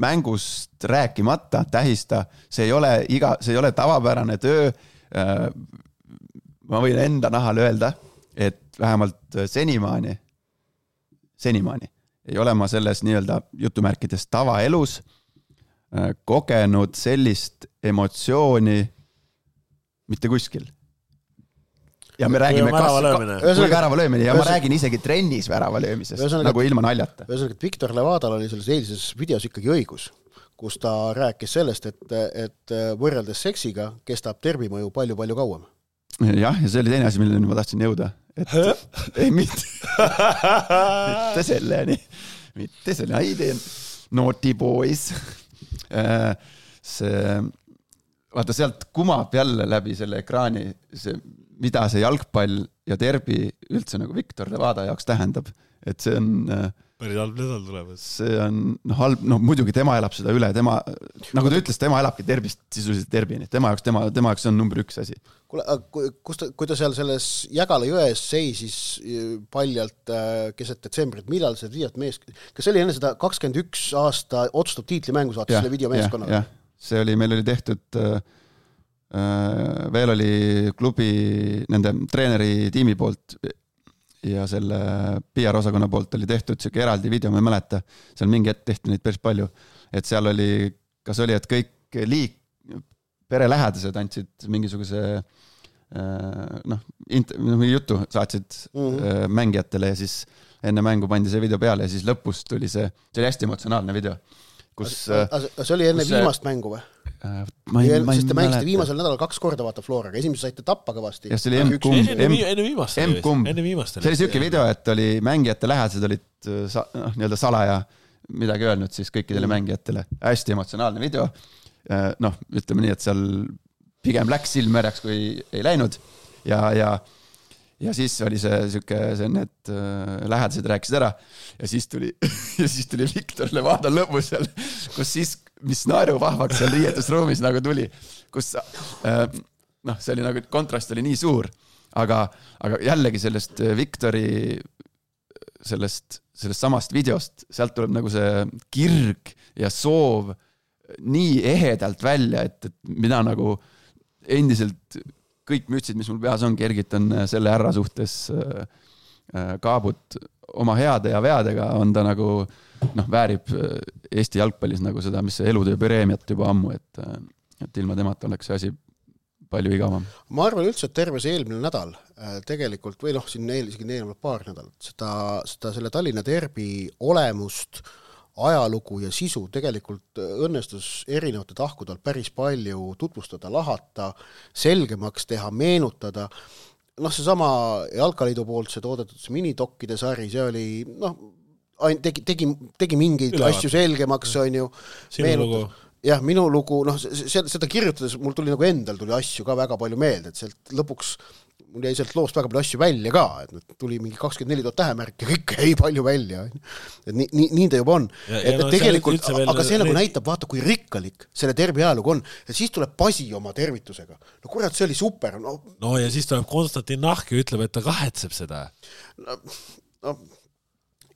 mängust rääkimata, tähista, see ei ole iga, see ei ole tavapärane töö. Ma võin enda nahal öelda, et vähemalt senimaani, senimaani ei ole ma selles nii-öelda jutumärkides tavaelus kogenud sellist emotsiooni mitte kuskil. Ja me räägime kas, kui värava löömine ja ma räägin isegi trennis värava löömisest, Ühesõnaga, nagu ilma naljata. Ühesõnaga, et Victor Levadal oli selles eilises videos ikkagi õigus, kus ta rääkis sellest, et, et võrreldes seksiga kestab tervimõju palju-palju kauem. Jah, ja see oli teine asi, milleni ma tahtsin jõuda. Et, ei, mitte, mitte selleni, mitte selleni, ei teen naughty boys. See, vaata sealt kumab jälle läbi selle ekraani see mida see jalgpall ja derbi üldse nagu Victor Levada jaoks tähendab, et see on päris halb nädal tulemas. See on no, halb, no muidugi tema elab seda üle, tema, nagu ta ütles, tema elabki derbist sisuliselt derbini, tema jaoks, tema, tema jaoks on number üks asi. Kuule, kus ta, kui ta seal selles Jägala jões seisis paljalt keset detsembrit, millal see videot mees, kas see oli enne seda kakskümmend üks aasta otsustav tiitlimängu saatis selle video meeskonnaga? Jah, see oli, meil oli tehtud veel oli klubi nende treeneri tiimi poolt ja selle P R-osakonna poolt oli tehtud siuke eraldi video, ma ei mäleta, seal mingi hetk tehti neid päris palju, et seal oli, kas oli, et kõik liik, perelähedased andsid mingisuguse noh, int- jutu saatsid mm-hmm. mängijatele ja siis enne mängu pandi see video peale ja siis lõpus tuli see, see oli hästi emotsionaalne video. Kus, see oli enne see... viimast mängu või? Ma ei, ma ei sest te mängisite viimasel nädalal kaks korda vaata Floraga, esimese saite tappa kõvasti. Ja see oli M-kumb. Enne viimast. See oli siuke video, et oli mängijate lähedased olid sa, no, nii-öelda salaja midagi öelnud siis kõikidele mm. mängijatele. Hästi emotsionaalne video. Noh, ütleme nii, et seal pigem läks silm märjaks, kui ei läinud. Ja, ja, ja siis oli see siuke, see need lähedased rääkisid ära. Ja siis tuli, ja siis tuli Victor Levada lõpus seal, kus siis mis naeru vahvaks seal riietusruumis nagu tuli, kus äh, noh, see oli nagu, kontrast oli nii suur, aga, aga jällegi sellest Victori sellest, sellest samast videost, sealt tuleb nagu see kirg ja soov nii ehedalt välja, et, et mina nagu endiselt kõik mütsid, mis mul peas on, kergitan selle härra suhtes äh, kaabut oma heade ja veadega, on ta nagu noh, väärib Eesti jalgpallis nagu seda, mis see elutöö preemiat juba ammu, et, et ilma temata oleks see asi palju igavam. Ma arvan üldse, et terve see eelmine nädal tegelikult, või noh, siin isegi eelmine paar nädalat, seda, seda selle Tallinna derbi olemust, ajalugu ja sisu tegelikult õnnestus erinevate tahkudel päris palju tutvustada, lahata, selgemaks teha, meenutada. noh, see sama Jalkaliidu poolt see toodetud see minitokkide sari, see oli, noh, tegi, tegi, tegi mingeid Ülevat. asju selgemaks, on ju. Sinu lugu. Jah, minu lugu, noh, seda kirjutades mul tuli nagu endal tuli asju ka väga palju meelde, et sealt lõpuks mul jäi sealt loost väga palju asju välja ka, et tuli mingi kakskümmend neli tuhat tähemärk ja kõik jäi palju välja. Et nii, nii, nii ta juba on. Ja, et, ja no, et tegelikult, aga see nagu näitab, vaata, kui rikkalik selle tervi ajalugu on. Et siis tuleb Pasi oma tervitusega. No kurat, see oli super. No, no ja siis tuleb Konstantin Nahk ja ütleb, et ta kahetseb seda. No, no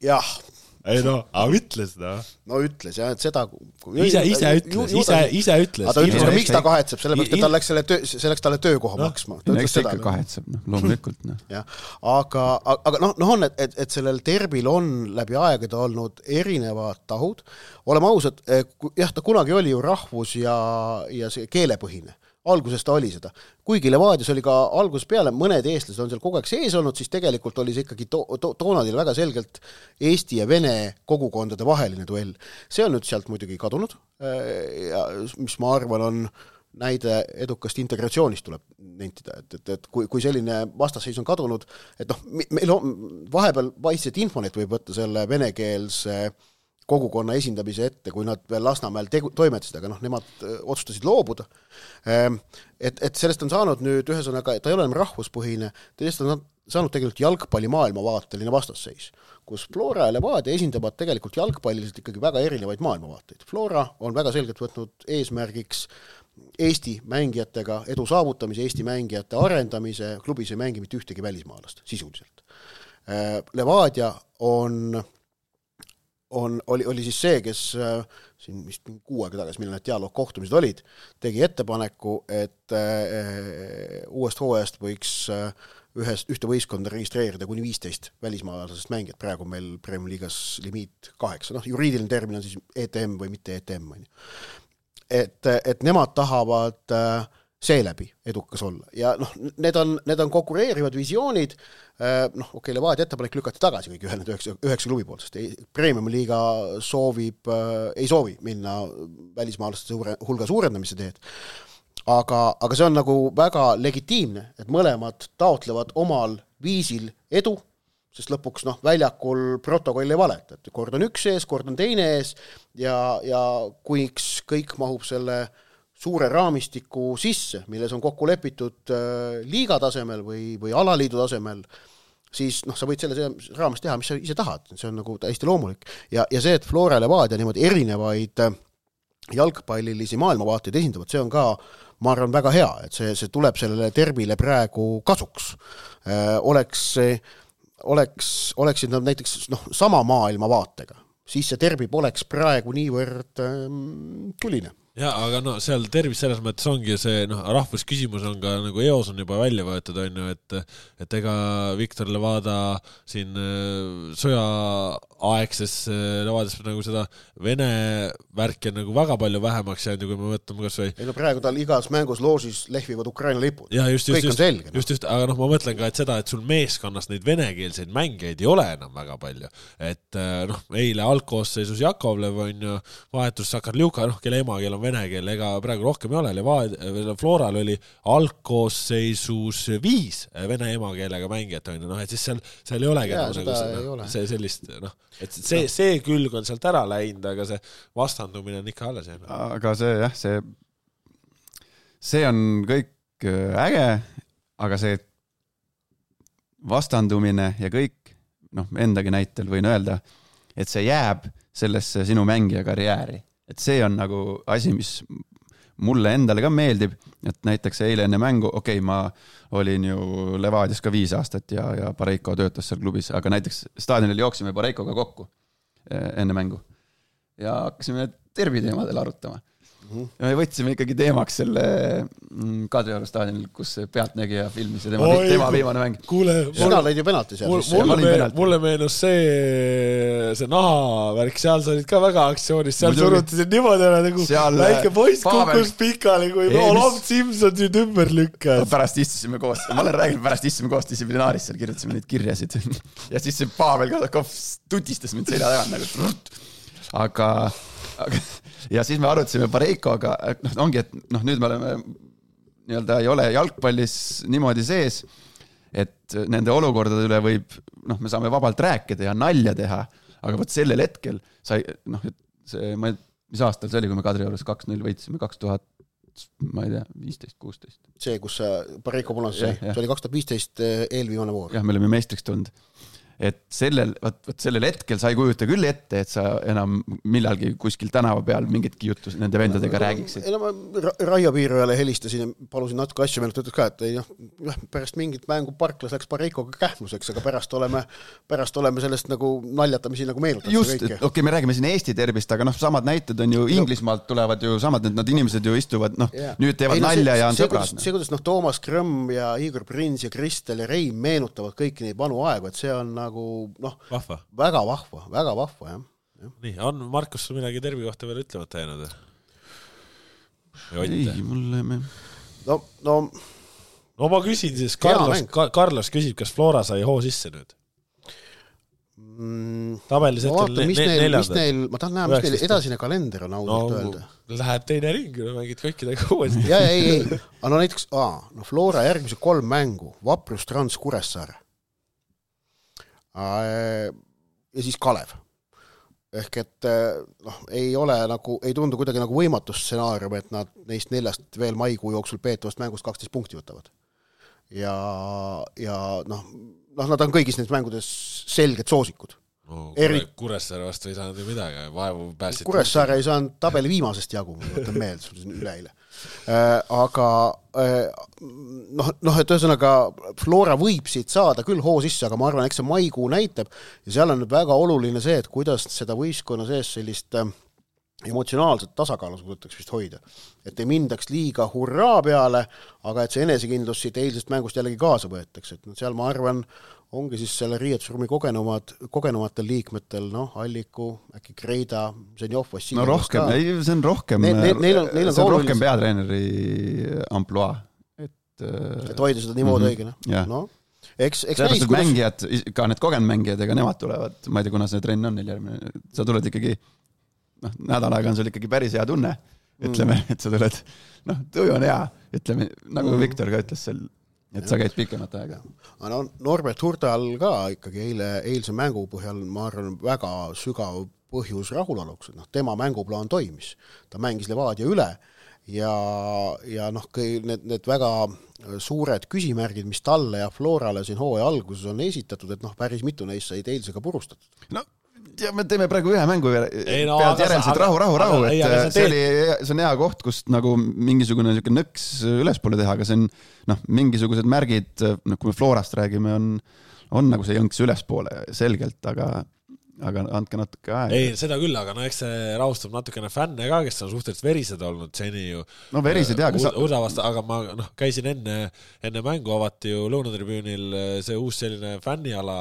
jah. Ei no, aga ütles no. No ütles jah, et seda ise, ise ütles, ise, ise ütles aga ta ütles ka, miks ta kahetseb, sellepärast, et ta läks selle töö, selleks talle töökoha no, maksma eks ta ikka kahetseb, noh, loomulikult no. ja, aga, aga noh, no on, et, et, et sellel terbil on läbi aegade olnud erinevad tahud, oleme ausad, jah, ta kunagi oli ju rahvus ja, ja see keelepõhine alguses ta oli seda. Kuigi Levadias oli ka algus peale, mõned eestlased on seal kogu aeg sees olnud, siis tegelikult oli see ikkagi to- to- toonadil väga selgelt Eesti ja Vene kogukondade vaheline duell. See on nüüd sealt muidugi kadunud, ja mis ma arvan on näide edukast integratsioonist tuleb nentida, et, et, et kui, kui selline vastasseis on kadunud, et noh, meil on vahepeal paistet Infonet võib võtta selle venekeelse kogukonna esindamise ette, kui nad veel Lasnamäel tegu, toimetasid, aga noh, nemad otsustasid loobuda. Et, et sellest on saanud nüüd ühesõnaga, ta ei ole enam rahvuspõhine, teist on saanud tegelikult jalgpalli maailmavaateline vastasseis, kus Flora ja Levadia esindavad tegelikult jalgpalliliselt ikkagi väga erinevaid maailmavaateid. Flora on väga selgelt võtnud eesmärgiks Eesti mängijatega edu saavutamise, Eesti mängijate arendamise, klubis ei mängi mitte ühtegi välismaalast sisuliselt. Levadia on On, oli, oli siis see, kes äh, siin vist kuu aega tagasi, millal need dialoog kohtumised olid, tegi ettepaneku, et äh, uuest hooajast võiks äh, ühest, ühte võistkonda registreerida kuni viisteist välismaalasest mängijat, praegu meil Premier Liigas limiit kaheksa, noh, juriidiline termin on siis E T M või mitte E T M. Et, et nemad tahavad äh, seeläbi edukas olla ja noh, need on, need on konkureerivad visioonid, noh, okei, okay, Levadia ettepanek lükati tagasi kõik ühel üheksa, üheksa klubi poolt, sest Premium liiga soovib, ei soovi minna välismaalaste suure, hulga suurendamise teed, aga, aga see on nagu väga legitiimne, et mõlemad taotlevad omal viisil edu, sest lõpuks noh, väljakul protokoll ei valeta, et kord on üks ees, kord on teine ees ja, ja kui kõik mahub selle suure raamistiku sisse, milles on kokku lepitud äh, liiga tasemel või, või alaliidu tasemel, siis noh, sa võid selle raames teha, mis sa ise tahad, see on nagu täiesti loomulik. Ja, ja see, et Flora ja Levadia niimoodi erinevaid äh, jalgpallilisi maailmavaateid esindavad, see on ka, ma arvan, väga hea, et see, see tuleb sellele termile praegu kasuks. Äh, oleks, oleks, oleksid nad näiteks noh, sama maailmavaatega, siis see terbi poleks praegu niivõrd äh, tuline. Ja, aga no seal tervis selles mõttes ongi see, noh, rahvusküsimus on ka nagu eos on juba välja võetud, on ju, et, et ega Viktor Levada siin sõja aegses Levadias nagu seda Vene värki on nagu väga palju vähemaks jäänud, kui me võtame kas või... Ei no praegu tal igas mängus loosis lehvivad Ukraina lipud. Ja, just, kõik just, on selge. Just, just, aga noh, ma mõtlen ka, et seda, et sul meeskonnas neid venekeelseid mängijaid ei ole enam väga palju. Et noh, eile algkoosseisus Jakovlev on ju vahetus Sakarljuka, noh, kelle emakeel on vene keel, ega praegu rohkem ei ole. Levadia, Floral oli algkoosseisus viis vene emakeelega mängijat, on ju, noh, et siis seal, seal ei olegi ja, nagu, nagu see, ei ole. see sellist, noh, et see, see külg on sealt ära läinud, aga see vastandumine on ikka alles jäänud. Aga see, jah, see see on kõik äge, aga see vastandumine ja kõik, noh, endagi näitel võin öelda, et see jääb sellesse sinu mängija karjääri. Et see on nagu asi, mis mulle endale ka meeldib, et näiteks eile enne mängu, okei, okay, ma olin ju Levadias ka viis aastat ja, ja Pareiko töötas seal klubis, aga näiteks staadionil jooksime Pareikoga kokku enne mängu ja hakkasime terbiteemadel arutama. Ja me võtsime ikkagi teemaks selle Kadrioru staadionil, kus pealtnägija filmis ja tema, Oi, tema viimane mäng. Kuule, sina lõid ju penalti seal. Mulle, mulle, me, mulle meenus see, see nahavärk, seal sa olid ka väga aktsioonis, seal surutisid niimoodi ära nagu seal, väike poiss kukkus pikali, kui Olaf Simson nüüd ümber lükkas. Pärast istusime koos, ma olen rääginud, pärast istusime koos distsiplinaaris, seal kirjutasime neid kirjasid ja siis see Pavel Kadakov tutistas mind selja tagant nagu aga, aga ja siis me arutasime Pareikoga, noh, ongi, et noh, nüüd me oleme nii-öelda ei ole jalgpallis niimoodi sees et nende olukordade üle võib, noh, me saame vabalt rääkida ja nalja teha, aga võt sellel hetkel sai, noh, see, ma, mis aastal see oli, kui me Kadriorus kaks null võitsime, kaks tuhat, ma ei tea, viisteist kuusteist. See, kus Pareiko Punas sai, see oli kaks tuhat viisteist eelviimane voor. Jah, me olime meistriks tulnud. Et sellel, võt, võt sellel hetkel sa ei kujuta küll ette, et sa enam millalgi kuskil tänava peal mingitki juttu nende vendadega no, räägiksid. Ei, no ma Raio Piirujale helistasin ja palusin natuke asju meelt, ütles ka, et ei, noh, pärast mingit mängu Parklas läks Pareikoga kähmuseks, aga pärast oleme, pärast oleme sellest nagu naljatamisi nagu meenutada. Just, okei, okay, me räägime siin Eesti terbist, aga noh, samad näited on ju Inglismaalt tulevad ju samad, et nad inimesed ju istuvad, noh, yeah. nüüd teevad ei, no, nalja see, ja on see, sõbrad. See, kuidas noh, Toomas Krõmm ja Igor Prins ja Kristel ja Reim meenutavad kõiki neid vanu aegu, et see on nagu noh, vahva. väga vahva, väga vahva, jah. Ja. Nii, on Markus sul midagi tervi kohta veel ütlemata jäänud? Ei, mulle me... No, no... no ma küsin siis, Carlos, Carlos küsib, kas Flora sai hoo sisse nüüd? Mm, tabelis no, vaata, mis neil, mis neil, ma tahan näha, mis neil edasine kalender on ausalt no, öelda. Läheb teine ring, no mängid kõikidega uuesti. ja, ei, ei, aga no näiteks, aa, no Flora järgmise kolm mängu, Vaprus, Trans, Kuressaare. Ja siis Kalev. Ehk et noh, ei ole nagu, ei tundu kuidagi nagu võimatusstsenaarium, et nad neist neljast veel maikuu jooksul peetavast mängust kaksteist punkti võtavad. Ja, ja noh, noh, nad on kõigis neist mängudes selged soosikud. No, Eri... Kuressaare vastu ei saanud ju midagi, vaevu pääsid. Kuressaare ei saanud tabeli viimasest jagu, ma võtan meelde, üleile. Äh, aga äh, noh, noh, et ühesõnaga Flora võib siit saada küll hoo sisse, aga ma arvan, eks see maikuu näitab ja seal on nüüd väga oluline see, et kuidas seda võistkonna sees sellist äh, emotsionaalset tasakaalu suudetakse vist hoida. Et ei mindaks liiga hurraa peale, aga et see enesekindlus siit eilsest mängust jällegi kaasa võetakse. Et seal ma arvan, ongi siis selle riietusruumi kogenumad, kogenumatel liikmetel, noh, Alliku, äkki Kreida, Zenjov, Vassiljev. No rohkem, ei, see on rohkem, ne, ne, neil on, neil on see on rohkem peatreeneri amploa. Et, et hoida seda niimoodi mm-hmm. õigena. Yeah. No, eks, eks näis, kuidas... mängijad, ka need kogenud mängijad, ega nemad tulevad, ma ei tea, kuna see trenn on neil järgmine, sa tuled ikkagi, noh, nädal aega on sul ikkagi päris hea tunne, ütleme, mm. et sa tuled, noh, tuju on hea, ütleme, nagu mm. Viktor ka ütles seal, et sa käid pikemat aega. No, Norbert Hurdal ka ikkagi eile, eilse mängu põhjal, ma arvan, väga sügav põhjus rahulaluks. No, tema mänguplaan toimis. Ta mängis Levadia üle ja, ja noh, need, need väga suured küsimärgid, mis talle ja Florale siin hooaja alguses on esitatud, et noh, päris mitu neist said eilsega purustatud. No, ja me teeme praegu ühe mängu ei, no, pealt järelselt rahu, rahu, rahu, et ei, see, see, oli, see on hea koht, kust nagu mingisugune nõks ülespoole teha, aga see on noh, mingisugused märgid, no, kui me Florast räägime, on, on nagu see jõnks ülespoole selgelt, aga aga andke natuke aega. Ei, seda küll, aga no eks see rahustab natukene fänne ka, kes on suhteliselt verised olnud seni ju. No verised, jah. Sa... Udavast, aga ma noh, käisin enne, enne mängu avati ju Lõunatribüünil see uus selline fänniala,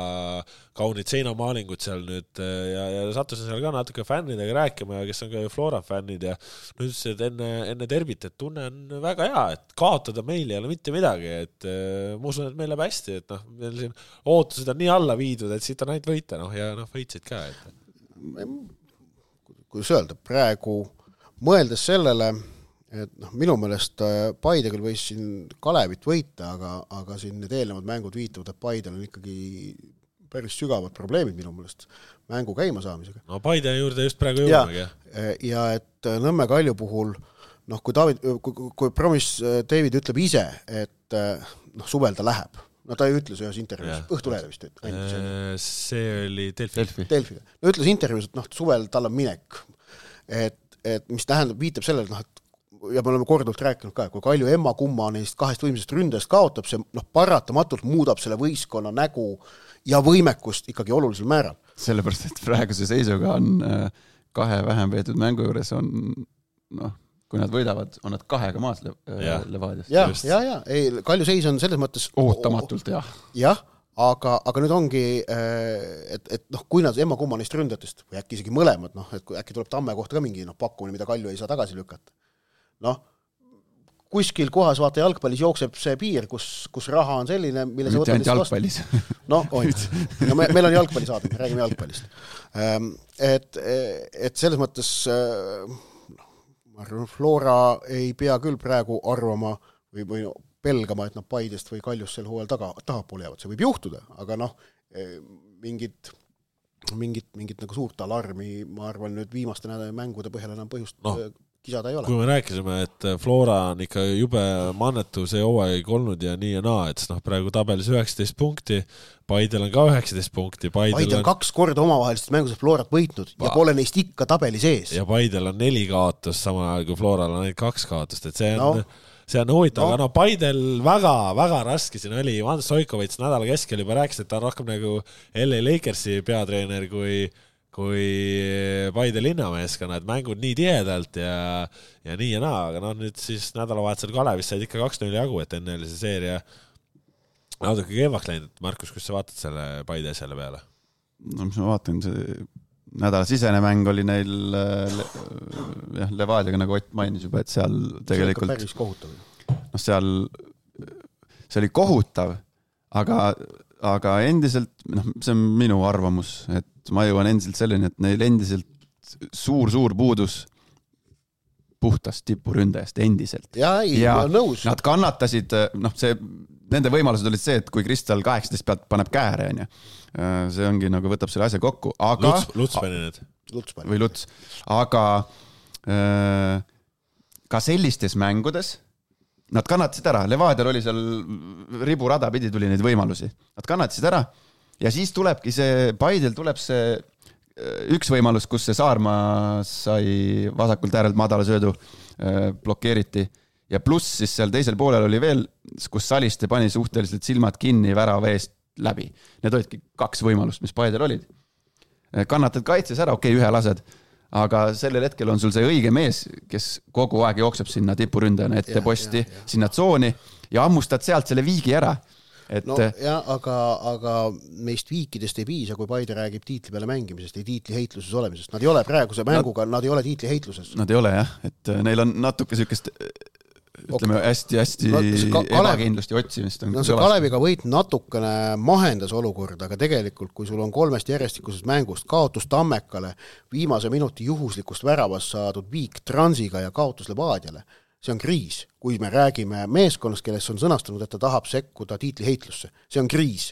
kaunid seinamaalingud seal nüüd ja, ja sattusin seal ka natuke fännidega rääkima, kes on ka ju Flora fännid ja nüüd see, et enne, enne terbit, et tunne on väga hea, et kaotada meil ei ole mitte midagi, et ma usun, et meil läheb hästi, et noh, meil siin ootused on nii alla viidud, et siit on ainult võita, noh, ja noh, võitsid ka, et kuidas öelda, praegu mõeldes sellele, et noh, minu meelest Paide küll võis siin Kalevit võita, aga, aga siin need eelnevad mängud viitavad, et Paidel on ikkagi päris sügavad probleemid minu meelest mängu käima saamisega. No Paide juurde just praegu jõudmegi. Ja, ja et Nõmme Kalju puhul, noh, kui, David, kui, kui promis David ütleb ise, et noh, suvel ta läheb, no ta ei ütles ühes intervjuus, Õhtulehe vist et, see oli Delfi. Delfiga. No ütles intervjuus, et noh, suvel tal on minek, et, et mis tähendab, viitab sellele, noh, et ja me oleme korduvalt rääkinud ka, kui Kalju emma kumma neist kahest võimsest ründest kaotab, see noh, paratamatult muudab selle võistkonna nägu ja võimekust ikkagi olulisel määral. Sellepärast, et praeguse seisuga on kahe vähem veetud mängu juures on, noh, kui nad võidavad, on nad kahega maas le- ja. Levadiast. Ja, ja, ja, ei, Kalju seis on selles mõttes ootamatult, jah. Jah, aga, aga nüüd ongi, et, et noh, kui nad emma kumma neist ründatest, või äkki isegi mõlemad, noh, et äkki tuleb Tamme kohta ka mingi noh, pakkumine, mida Kalju ei saa tagasi lükata. Noh, kuskil kohas vaata jalgpallis jookseb see piir, kus, kus raha on selline, mille mitte ainult jalgpallis. No, on. No, me, meil on jalgpalli saada, me räägime jalgpallist. Et, et selles mõttes ma arvan, Flora ei pea küll praegu arvama või, või pelgama, et nad Paidest või Kaljust sel hooajal taga, tahapoole jäävad. See võib juhtuda, aga noh, mingit, mingit, mingit nagu suurt alarmi, ma arvan, nüüd viimaste nädala mängude põhjal enam põhjust no. kisada ei ole. Kui me rääkisime, et Flora on ikka jube mannetu see hooaeg olnud ja nii ja naa, et noh, praegu tabelis üheksateist punkti, Paidel on ka üheksateist punkti. Paidel, Paidel on kaks korda omavahelisest mängusest Florat võitnud pa- ja pole neist ikka tabeli sees. Ja Paidel on neli kaotust, sama ajal kui Floral on ainult kaks kaotust, et see on, no. see on huvitav, no. aga no Paidel väga, väga raske siin oli. Ivan Stoikovits nädala keskel juba rääkis, et ta on rohkem nagu L A Lakersi peatreener kui kui Paide linnameeskonna, et mängud nii tihedalt ja, ja nii ja naa, aga no nüüd siis nädalavahetusel Kalevis said ikka kaks null jagu, et enne oli see seeria natuke keemaks läinud. Markus, kus sa vaatad selle Paide selle peale? No mis ma vaatan, see nädala sisene mäng oli neil jah, Levadiaga, nagu Ott mainis juba, et seal tegelikult päris kohutav. No seal see oli kohutav, aga, aga endiselt, noh, see on minu arvamus, et ma jõuan endiselt selleni, et neil endiselt suur-suur puudus puhtast tipuründajast endiselt. Ja, ei, ja nõus. Nad kannatasid, noh, see, nende võimalused olid see, et kui Kristal kaheksateist pealt paneb kääre, on ju, see ongi nagu võtab selle asja kokku, aga Luts, Luts pani need. Luts pani. Või Luts, aga äh, ka sellistes mängudes nad kannatasid ära, Levadial oli seal riburada pidi tuli neid võimalusi, nad kannatasid ära ja siis tulebki see, Paidel tuleb see üks võimalus, kus see Saarma sai vasakult äärelt madala söödu blokeeriti ja pluss siis seal teisel poolel oli veel, kus Saliste pani suhteliselt silmad kinni värava eest läbi. Need olidki kaks võimalust, mis Paidel olid. Kannatad kaitses ära, okei, okay, ühe lased, aga sellel hetkel on sul see õige mees, kes kogu aeg jookseb sinna tipuründajana ette posti, ja, ja. sinna tsooni ja ammustad sealt selle viigi ära. Et... No jah, aga, aga meist viikidest ei piisa, kui Paide räägib tiitli peale mängimisest ja tiitli heitluses olemisest. Nad ei ole praeguse mänguga, nad, nad ei ole tiitli heitluses. Nad ei ole jah, et neil on natuke sükest, ütleme, hästi-hästi no, ebakindlust ja otsimist. No see Kaleviga võit natukene mahendas olukorda, aga tegelikult, kui sul on kolmest järjestikusest mängust kaotus Tammekale, viimase minuti juhuslikust väravast saadud viik Transiga ja kaotus Levadiale, see on kriis, kui me räägime meeskonnast, kellest on sõnastanud, et ta tahab sekkuda tiitli heitlusse. See on kriis.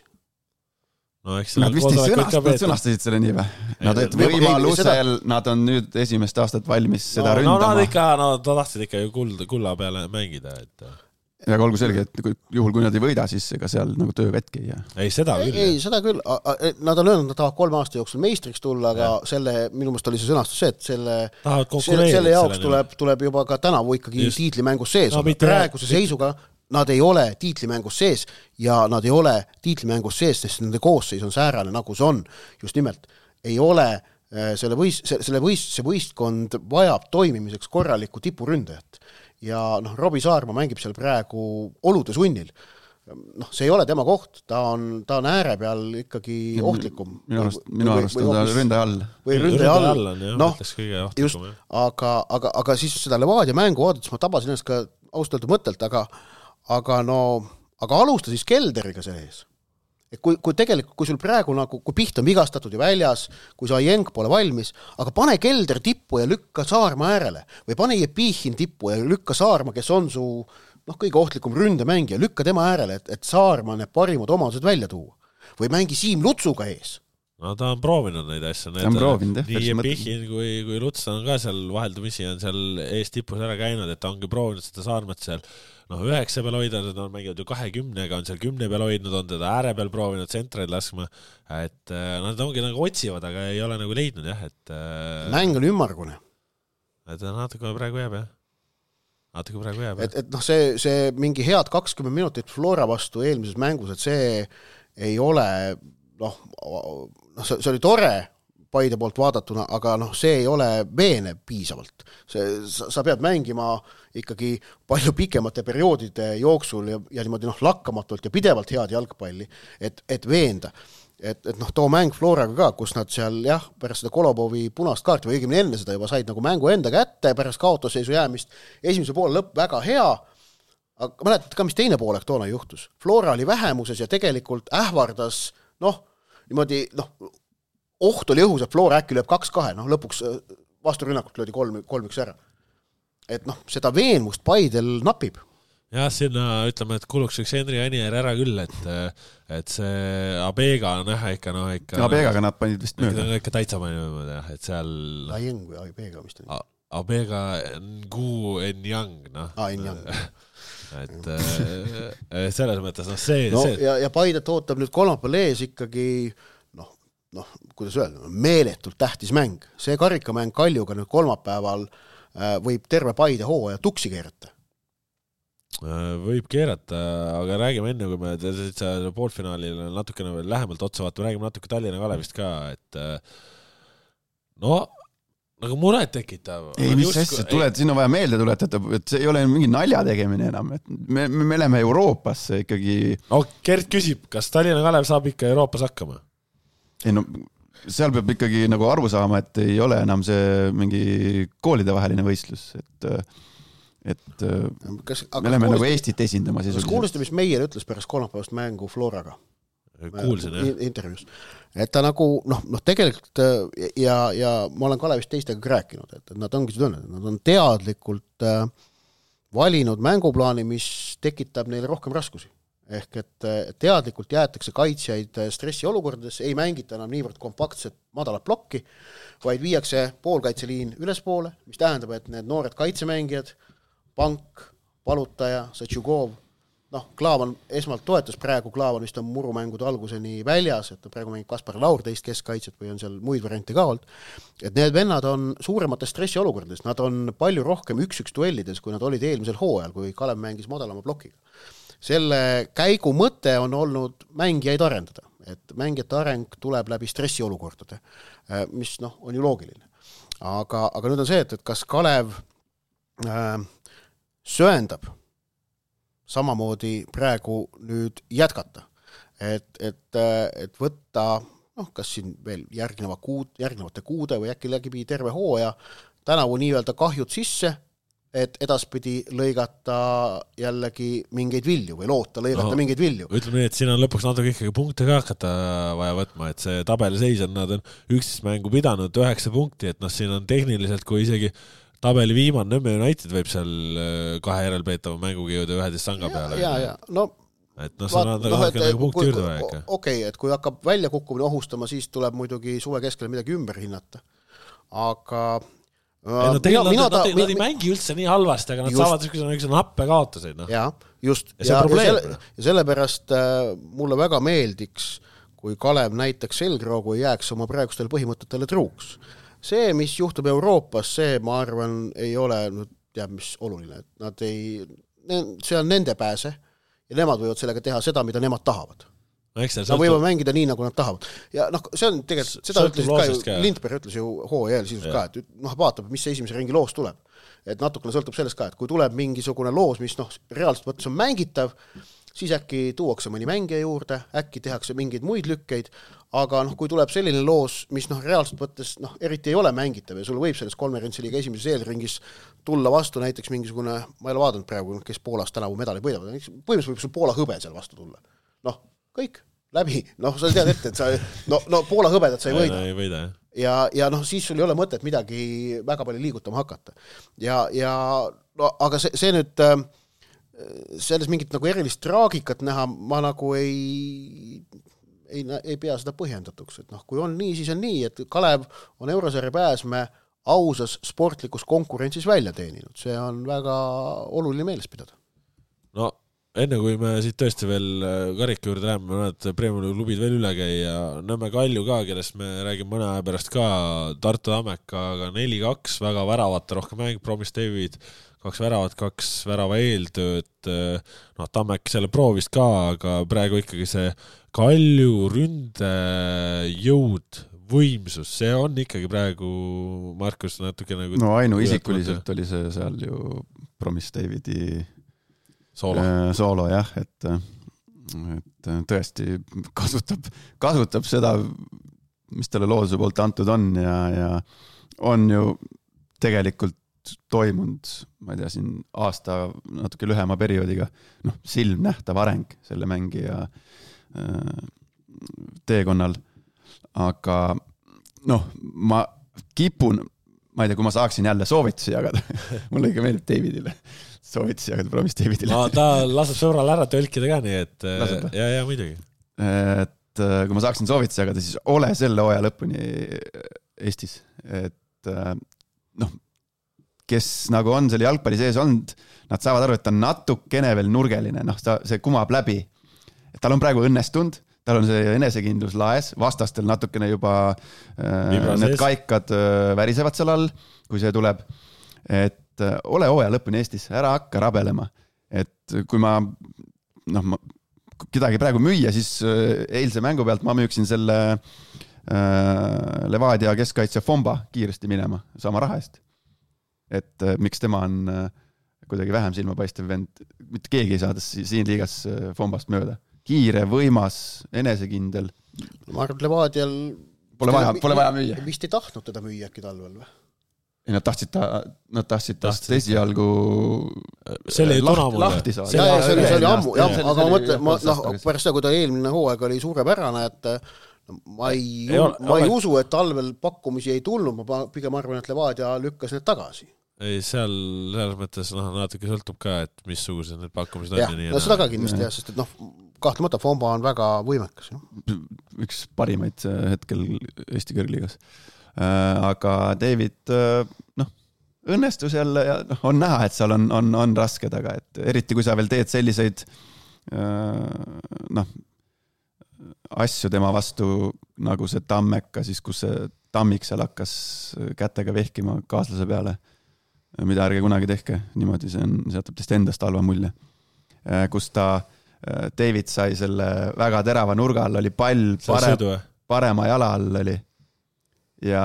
No, eks nad vist ei sõnast, nad sõnastasid selle nii või? Nad et võimalusel, seda... nad on nüüd esimest aastat valmis seda no, ründama. No nad ikka, no ta tahtsid ikka ju kulla, kulla peale mängida, et... Ja olgu selge, et juhul kui nad ei võida, siis ega seal nagu töö vetki ei jää. Ei, seda küll. Ei, ei seda küll. Nad on öelnud, nad tahavad kolme aasta jooksul meistriks tulla, aga ja. selle, minu meelest oli see sõnastus see, et selle, selle, selle jaoks tuleb, tuleb juba ka tänavu ikkagi Just. tiitlimängus sees. No, praeguse mitte... seisuga nad ei ole tiitlimängus sees ja nad ei ole tiitlimängus sees, sest nende koosseis on säärane, nagu see on. Just nimelt ei ole selle, võist, selle võist, see võistkond vajab toimimiseks korralikku tipuründajat. Ja noh, Robi Saarma mängib seal praegu olude sunnil. Noh, see ei ole tema koht, ta on, ta on ääre peal ikkagi ohtlikum. Minu arust, minu arust on ta ründe all. Või ründe all, all on, jah, no, ohtlikum, just, aga, aga, aga siis seda Levadia mängu oodates ma tabasin ennast ka austatud mõttelt, aga, aga no, aga alusta siis Kelderiga sees. Et kui, kui tegelikult, kui sul praegu nagu, kui Piht on vigastatud ja väljas, kui sa Jenk pole valmis, aga pane Kelder tippu ja lükka Saarma äärele või pane Jepihin tippu ja lükka Saarma, kes on su noh, kõige ohtlikum ründemängija, lükka tema äärele, et, et Saarma need parimad omadused välja tuua. Või mängi Siim Lutsuga ees. No ta on proovinud neid asju. Ta on proovinud, jah. Nii Jepihin kui, kui Luts on ka seal vaheldumisi on seal ees tipus ära käinud, et ta ongi proovinud seda Saarmat seal noh, üheksa peal hoida, nad on mänginud ju kahekümnega, on seal kümne peal hoidnud, on teda ääre peal proovinud tsentraid laskma, et nad ongi nagu otsivad, aga ei ole nagu leidnud, jah, et mäng on ümmargune. Et natuke praegu jääb, jah. Natuke praegu jääb, jah. Et, et noh, see, see mingi head kakskümmend minutit Flora vastu eelmises mängus, et see ei ole noh, noh see, see oli tore Paide poolt vaadatuna, aga noh, see ei ole veene piisavalt. See, sa, sa pead mängima ikkagi palju pikemate perioodide jooksul ja, ja niimoodi noh, lakkamatult ja pidevalt head jalgpalli, et, et veenda. Et, et noh, too mäng Floraga ka, kus nad seal jah, pärast seda Kolobovi punast kaarti või õigemini enne seda juba said nagu mängu enda kätte, pärast kaotusseisu jäämist, esimese poole lõpp väga hea, aga mäletad ka, mis teine poolek toona juhtus. Flora oli vähemuses ja tegelikult ähvardas noh, niimoodi noh, oht oli õhus, et Flora äkki lööb kaks kahe, noh lõpuks vasturünnakult löödi kolm, kolm üks ära. Et noh, seda veenmust Paidel napib. jah, sinna ütleme, et kuluks üks Henri Anier ära küll, et et see Abega on jah ikka noh ikka Abegaga nad panid vist mööda. Ikka täitsa panid mööda jah, et seal Aieng või Abega vist on. Abega Ngu Enyang, noh. Ah, Enyang. et selles mõttes, noh see, no, see... ja, ja Paidet ootab nüüd kolmapäeval ees ikkagi noh, noh, kuidas öelda, meeletult tähtis mäng. See karikamäng Kaljuga nüüd kolmapäeval võib terve Paide hooaja tuksi keerata. Võib keerata, aga räägime enne, kui me poolfinaalil natukene veel lähemalt otsa vaatame, räägime natuke Tallinna Kalevist ka, et no, nagu muret tekitav. Ei, mis asja, tuled, siin on vaja meelde tuletada, et see ei ole mingi nalja tegemine enam, et me, me oleme Euroopasse ikkagi... No, Gert küsib, kas Tallinna Kalev saab ikka Euroopas hakkama? Ei no, seal peab ikkagi nagu aru saama, et ei ole enam see mingi koolide vaheline võistlus, et et kas, me oleme nagu Eestit esindama. Kas kuulisite, mis Meier ütles pärast kolmapäevast mängu Floraga? Kuulsin, jah. Intervjuus. Et ta nagu, noh, noh tegelikult ja, ja ma olen Kalevist teistega rääkinud, et nad ongi seda öelnud, nad on teadlikult valinud mänguplaani, mis tekitab neile rohkem raskusi. Ehk et teadlikult jäetakse kaitsjaid stressiolukordades, ei mängita enam niivõrd kompaktset madalat plokki, vaid viiakse poolkaitseliin ülespoole, mis tähendab, et need noored kaitsemängijad Pank, Palutaja, Satšugov, noh, Klaavan esmalt toetas praegu, Klaavan vist on murumängude alguseni väljas, et praegu mängib Kaspar Laur teist keskkaitset või on seal muid variante ka olnud, et need vennad on suuremates stressiolukordades, nad on palju rohkem üks-üks duellides, kui nad olid eelmisel hooajal, kui Kalev mängis madalama plokiga. Selle käigu mõte on olnud mängijaid arendada, et mängijate areng tuleb läbi stressiolukordade, mis noh, on ju loogiline. Aga, aga nüüd on see, et, et kas Kalev äh, sööndab samamoodi praegu nüüd jätkata, et, et, et võtta, noh, kas siin veel järgneva kuud, järgnevate kuude või äkki läbi terve hooaja tänavu nii-öelda kahjud sisse, et edaspidi lõigata jällegi mingeid vilju või loota lõigata no, mingeid vilju. Ütleme nii, et siin on lõpuks natuke ikkagi punkte ka hakata vaja võtma, et see tabeli seis on, nad on üksteist mängu pidanud üheksa punkti, et noh, siin on tehniliselt, kui isegi tabeli viimane Nõmme United võib seal kahe järelpeetava mänguga jõuda üheteist sanga peale. Ja, ja, no, et noh, see on no, natuke nagu punkti juurde vaja ikka. Okei, okay, et kui hakkab välja kukkumine ohustama, siis tuleb muidugi suve keskel midagi ümber hinnata. Aga ei, no tegelikult mina, nad, nad, nad ei mängi üldse nii halvasti, aga nad just, saavad üks nappe kaotuseid. No. Ja, just. Ja, ja, ja, selle, ja sellepärast äh, mulle väga meeldiks, kui Kalev näitaks selgroogu ja jääks oma praegustele põhimõtetele truuks. See, mis juhtub Euroopas, see, ma arvan, ei ole nüüd teab, mis oluline. Et nad ei, see on nende pääse ja nemad võivad sellega teha seda, mida nemad tahavad. No, nad võivad mängida nii, nagu nad tahavad. Ja noh, see on tegelikult, seda ütles ka ju, Lindberg ütles ju H E L sisust ka, et noh, vaatab, mis see esimese ringi loos tuleb. Et natukene sõltub sellest ka, et kui tuleb mingisugune loos, mis noh, reaalselt võttes on mängitav, siis äkki tuuakse mõni mängija juurde, äkki tehakse mingeid muid lükkeid, aga noh, kui tuleb selline loos, mis noh, reaalselt võttes noh, eriti ei ole mängitav ja sul võib selles konverentsiliiga esimeses eelringis tulla vastu näiteks mingisugune, ma ei ole vaadanud praegu, kes Poolas tänavu medali võidavad, põhimõtteliselt võib sul Poola hõbe seal vastu tulla. Noh, kõik, läbi, noh, sa tead ette, et sa, no, no Poola hõbedat sa ei võida. Ei võida, jah. Ja, ja noh, siis sul ei ole mõtet midagi väga palju liigutama hakata. Ja, ja no, aga see, see nüüd selles mingit nagu erilist traagikat näha, ma nagu ei, ei, ei pea seda põhjendatuks. Et noh, kui on nii, siis on nii, et Kalev on Eurosarja pääsme ausas sportlikus konkurentsis välja teeninud. See on väga oluline meeles pidada. No, enne kui me siit tõesti veel karika juurde läheme, me näed Premiumi klubid veel üle käia, Nõmme Kalju ka, kellest me räägime mõne aja pärast ka, Tartu Tammeka, aga neli kaks, väga väravate rohkem mäng, Promis David, kaks väravat, kaks värava eeltööd, noh, Tammek selle proovist ka, aga praegu ikkagi see Kalju ründe jõud, võimsus, see on ikkagi praegu Markus natuke nagu no ainu isikuliselt oli see seal ju Promis Davidi soolo, äh, soolo jah, et, et tõesti kasutab, kasutab seda, mis talle looduse poolt antud on ja, ja on ju tegelikult toimunud, ma ei tea, siin aasta natuke lühema perioodiga, noh, silmnähtav areng selle mängija äh, teekonnal. Aga noh, ma kipun, ma ei tea, kui ma saaksin jälle soovitusi jagada, mulle ikka meeldib Davidile, soovitus jagada promis Davidile. No ta laseb sõbrale ära tõlkida ka nii, et Laseb, ja, ja muidugi. Et kui ma saaksin soovitusi jagada, siis ole selle hooaja lõpuni Eestis. Et noh, kes nagu on selle jalgpalli sees olnud, nad saavad aru, et ta on natukene veel nurgeline, noh, see kumab läbi. Et tal on praegu õnnestunud, tal on see enesekindlus laes, vastastel natukene juba äh, need kaikad äh, värisevad seal all, kui see tuleb. Et äh, ole hooaja lõpuni Eestis, ära hakka rabelema. Et kui ma, noh, ma kedagi praegu müüa, siis eilse mängu pealt ma müüksin selle äh, Levadia keskkaitse Fomba kiiresti minema sama raha eest. Et äh, miks tema on äh, kuidagi vähem silmapaistev vend, mitte keegi ei saada siin liigas äh, Fombast mööda. Kiire, võimas, enesekindel. Ma arvan, et Levadial pole vaja, pole vaja müüa. Vist ei tahtnud teda müüa äkki talvel või? Nad tahtsid ta, nad tahtsid tast esialgu selle lahti, lahti saada. Ja, ja, see oli, see oli ammu, jah, aga ma mõtlen, ma, noh, pärast seda, kui ta eelmine hooaeg oli suurepärane, et ma ei, ei, ole, ma ei usu, et talvel pakkumisi ei tulnud, ma pigem arvan, et Levadia lükkas need tagasi. Ei, seal selles mõttes noh, natuke sõltub ka, et missugused need pakkumised on. Ja, ja no seda ka kindlasti jah, sest et noh, kahtlemata Fomba on väga võimekas. Jah. Üks parimaid hetkel Eesti kõrgliigas. Aga David, noh, õnnestus jälle ja noh, on näha, et seal on, on, on raske taga, et eriti kui sa veel teed selliseid noh, asju tema vastu nagu see Tammeka, siis kus see Tammik seal hakkas kätega vehkima kaaslase peale, mida ärge kunagi tehke, niimoodi see on, see jätab teist endast halva mulje. Kus ta, David sai selle väga terava nurga all, oli pall pare, parema jala all oli. Ja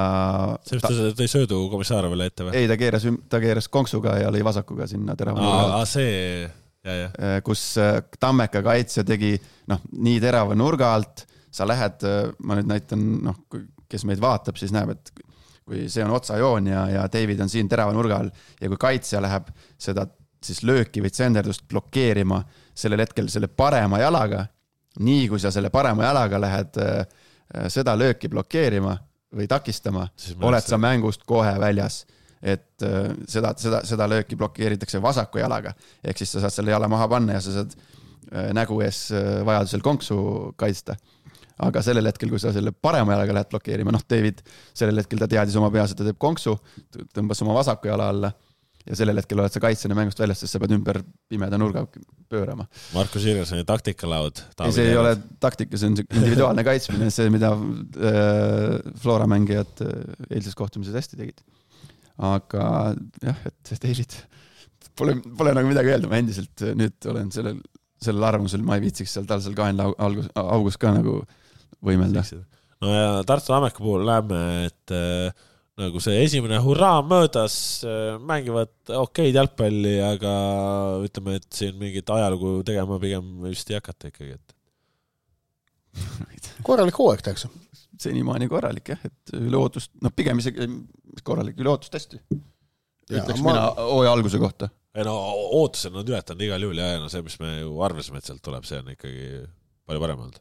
see, ta, ta ei söödu Komissaarovale ette või? Ei, ta keeras, ta keeras konksuga ja lõi vasakuga sinna terava nurga. Aa, see, ja, ja. Kus Tammeka kaitsja tegi noh, nii terava nurga alt, sa lähed, ma nüüd näitan, noh, kes meid vaatab, siis näeb, et kui see on otsajoon ja, ja David on siin terava nurga all ja kui kaitsja läheb seda siis lööki või tsenderdust blokeerima sellel hetkel selle parema jalaga, nii kui sa selle parema jalaga lähed seda lööki blokeerima või takistama, oled sa mängust kohe väljas, et seda, seda, seda lööki blokeeritakse vasaku jalaga, ehk siis sa saad selle jala maha panna ja sa saad nägu ees vajadusel konksu kaitsta. Aga sellel hetkel, kui sa selle parema jalaga lähed blokeerima, noh, David, sellel hetkel ta teadis oma peas, et ta teeb konksu, tõmbas oma vasaku jala alla ja sellel hetkel oled sa kaitsena mängust väljas, sest sa pead ümber pimeda nurga pöörama. Markus Irgasoni taktikalaud. Ei, see ei ole taktika, see on individuaalne kaitsmine, see, mida äh, Flora mängijad eilses kohtumises hästi tegid. Aga jah, et David pole, pole nagu midagi öelda, ma endiselt nüüd olen sellel, sellel arvamusel, ma ei viitsiks seal tal seal kahenla augus, augus ka nagu võimelda. No ja Tartu Ammeka puhul läheme, et äh, nagu see esimene hurraa möödas, mängivad okeid jalgpalli, aga ütleme, et siin mingit ajalugu tegema pigem vist ei hakata ikkagi. Et. Korralik hooaeg tehakse. Senimaani korralik, jah, et üle ootust, no pigem isegi korralik, üle ootust hästi. Ütleks ma... mina hooaja alguse kohta. Ei no ootused nad ületanud igal juhul ja no see, mis me ju arvasime, et sealt tuleb, see on ikkagi palju parem olnud.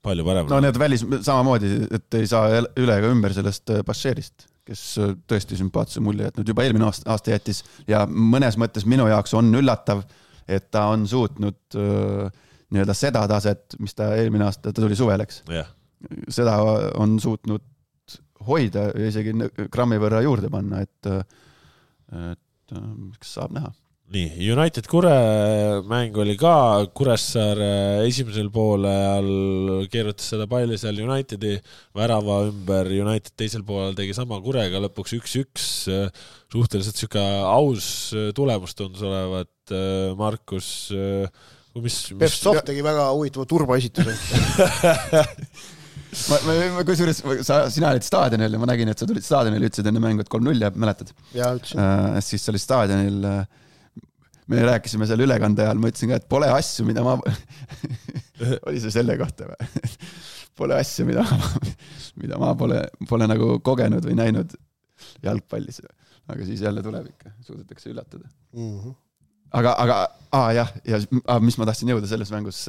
Palju parem. No need välis samamoodi, et ei saa üle ega ümber sellest Bashirist, kes tõesti sümpaatse mulje jätnud juba eelmine aasta, aasta jättis ja mõnes mõttes minu jaoks on üllatav, et ta on suutnud uh, nii-öelda seda taset, mis ta eelmine aasta, ta tuli suveleks. Yeah. Seda on suutnud hoida ja isegi grammi võrra juurde panna, et, et kas saab näha. Nii, United Kure mäng oli ka, Kuressaare esimesel poole all keerutas seda palli seal Unitedi värava ümber, United teisel poolel tegi sama Kurega, lõpuks üks-üks, suhteliselt süka aus tulemus tundus olevat, Markus, mis... Pep Soft tegi väga huvitava turbaesituse. ma, ma, ma kusjuures, sa, sina olid staadionil ja ma nägin, et sa tulid staadionil, ütlesid enne mängu, et kolm null ja mäletad? Ja, ütlesin. Uh, siis sa olid staadionil... Me rääkisime seal ülekande ajal, ma ütlesin ka, et pole asju, mida ma... oli see selle kohta või? Pole asju, mida ma, mida ma pole, pole nagu kogenud või näinud jalgpallis. Aga siis jälle tuleb ikka, suudetakse üllatada. Mm-hmm. Aga, aga aa, jah, ja mis ma tahtsin jõuda selles mängus,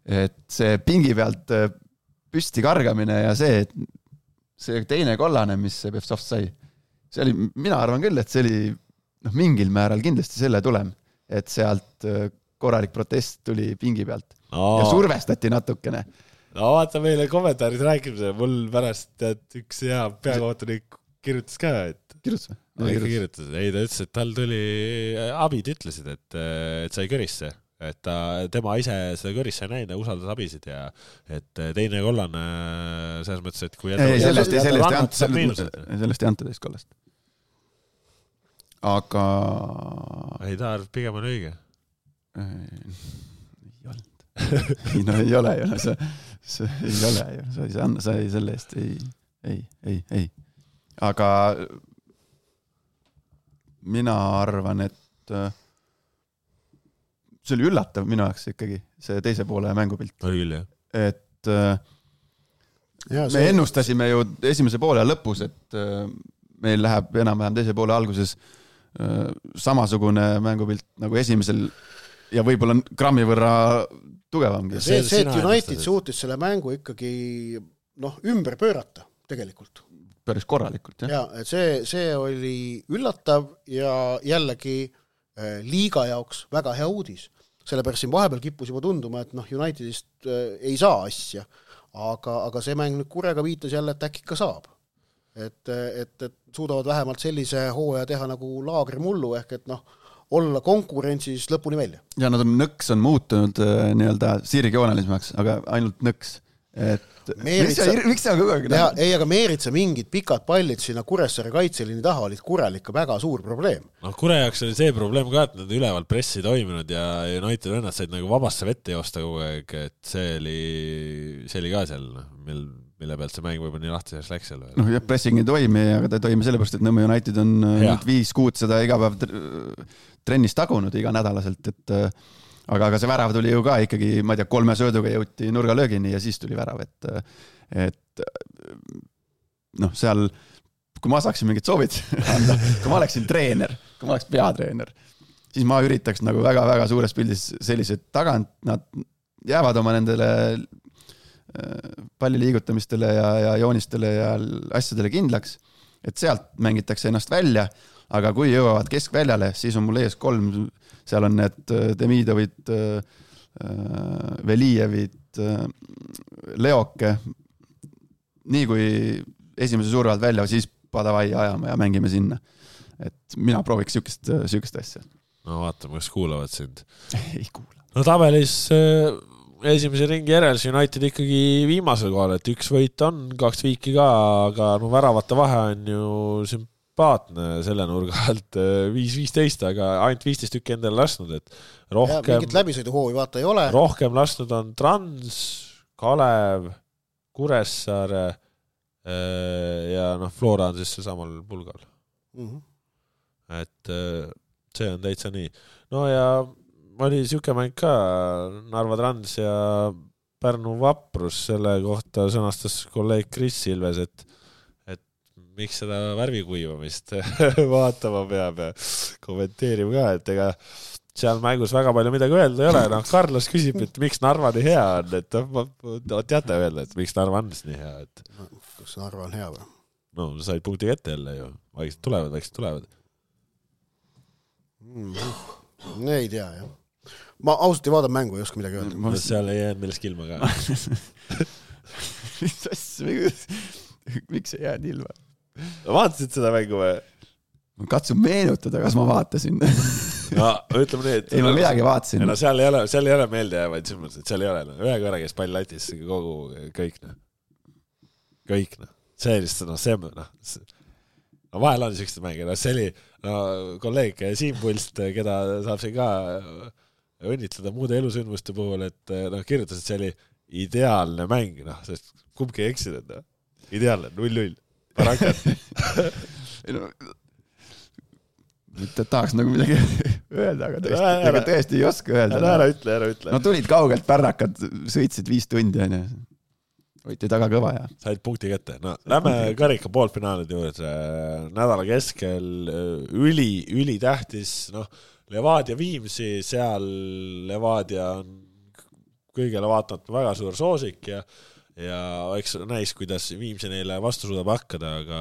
et see pingi pealt püsti kargamine ja see, et see teine kollane, mis Pevtsov sai, see oli, mina arvan küll, et see oli noh, mingil määral kindlasti selle tulem, et sealt korralik protest tuli pingi pealt no. ja survestati natukene. No vaata meile kommentaarid rääkimise, mul pärast tead, üks hea peakohtunik kirjutas ka, et kirjutas või? No, ikka kirjutas. Ei, ta ütles, et tal tuli, abid ütlesid, et, et sai körisse, et ta, tema ise seda körisse ei näinud ja usaldas abisid ja et teine kollane selles mõttes, et kui ei, sellest ei anta, sellest ei anta teist kollast. Aga ei, ta arv pigem on õige. Ei olnud. ei, no ei ole ju, see, see ei ole ju, sa ei saa, sa ei selle eest, ei, ei, ei, ei. Aga mina arvan, et see oli üllatav minu jaoks ikkagi, see teise poole mängupilt. Oli küll, jah. Et ja, me see... ennustasime ju esimese poole lõpus, et meil läheb enam-vähem teise poole alguses samasugune mängupilt nagu esimesel ja võib-olla grammi võrra tugevamgi. See, see, et United suutis selle mängu ikkagi noh, ümber pöörata tegelikult. Päris korralikult, jah. Ja, et see, see oli üllatav ja jällegi äh, liiga jaoks väga hea uudis. Sellepärast siin vahepeal kippus juba tunduma, et noh, Unitedist äh, ei saa asja, aga, aga see mäng nüüd kurega viitas jälle, et äkki ka saab. Et, et, et suudavad vähemalt sellise hooaja teha nagu laagrimullu, ehk et noh, olla konkurentsis lõpuni välja. Ja nad on nõks on muutunud äh, nii-öelda sirgjoonalismaks, aga ainult nõks. Et Meeritsa, miks sa kogu aeg näha? Ei, aga Meeritsa mingid pikad pallid sinna Kuressaare kaitseliini taha olid Kurel ikka väga suur probleem. No Kure jaoks oli see probleem ka, et nad üleval pressi toiminud ja United vennad said nagu vabasse vette joosta kogu aeg, et see oli, see oli ka seal, mil, mille pealt see mäng võib-olla nii lahtiseks läks seal. No jah, pressing ei toimi, aga ta ei toimi sellepärast, et Nõmme United on ja. nüüd viis kuud seda iga päev trennis tagunud iga nädalaselt, et aga, aga see värav tuli ju ka ikkagi, ma ei tea, kolme sööduga jõuti nurgalöögini ja siis tuli värav, et, et noh, seal, kui ma saaksin mingit soovid anda, kui ma oleksin treener, kui ma oleks peatreener, siis ma üritaks nagu väga-väga suures pildis sellised tagant, nad jäävad oma nendele palli liigutamistele ja, ja joonistele ja asjadele kindlaks, et sealt mängitakse ennast välja, aga kui jõuavad keskväljale, siis on mul ees kolm, seal on need Demidovid, Velijevid, Leoke, nii kui esimese suurvalt välja, siis padavai ajama ja mängime sinna. Et mina prooviks sükest, sükest asja. No vaatame, kas kuulavad sind. Ei kuula. No tabelis esimese ringi järel United ikkagi viimasel kohal, et üks võit on, kaks viiki ka, aga no väravate vahe on ju sümpaatne selle nurga alt viis viisteist, aga ainult viisteist tükki endale lasnud, et rohkem... Ja, mingit läbisõiduhoovi vaata ei ole. Rohkem lasnud on Trans, Kalev, Kuressaare ja noh, Flora on siis see samal pulgal. Mm-hmm. Et see on täitsa nii. No ja oli siuke mäng ka, Narva Trans ja Pärnu Vaprus, selle kohta sõnastas kolleeg Kris Silves, et, et miks seda värvikuivamist vaatama peab ja kommenteerima ka, et ega seal mängus väga palju midagi öelda ei ole. No, Carlos küsib, et miks Narva nii hea on, et ma teate öelda, et miks Narva on nii hea. Et... Kas Narva on hea või? No, said punkti kätte jälle ju. Vaikselt tulevad, vaikselt tulevad. Mm, ei tea, jah. Ma ausalt ei vaada mängu, ei oska midagi öelda. Ma seal ei jäänud millest ilma ka. Miks ei jäänud ilma? Vaatasid seda mängu või? Ma katsun meenutada, kas ma vaatasin. No, ütleme nii, et... Ei, ma midagi vaatasin. No, seal ei ole, seal ei ole meelde jäävaid, et seal ei ole. No. Ühe korra käis pall latis kogu kõik. No. Kõik. No. See oli lihtsalt, no, see, no, no, vahel on sellised mängid. No, see oli no, kolleeg Siim Pulst, keda saab siin ka õnnitleda muude elusündmuste puhul, et no, kirjutas, et see oli ideaalne mäng, noh, sest kumbki ei eksinud, no. Ideaalne, null-null. Parakat. no, mitte tahaks nagu midagi öelda, aga tõesti, ära, tõesti ei oska öelda. Ära, ära ütle, ära ütle. No tulid kaugelt pärrakad, sõitsid viis tundi, on ju. Võiti taga kõva ja... Said punkti kätte. No, lähme karika poolfinaalid juurde. Nädala keskel üli, üli tähtis, noh, Levadia Viimsi, seal Levadia on kõigele vaatamata väga suur soosik ja, ja eks näis, kuidas Viimsi neile vastu suudab hakkada, aga,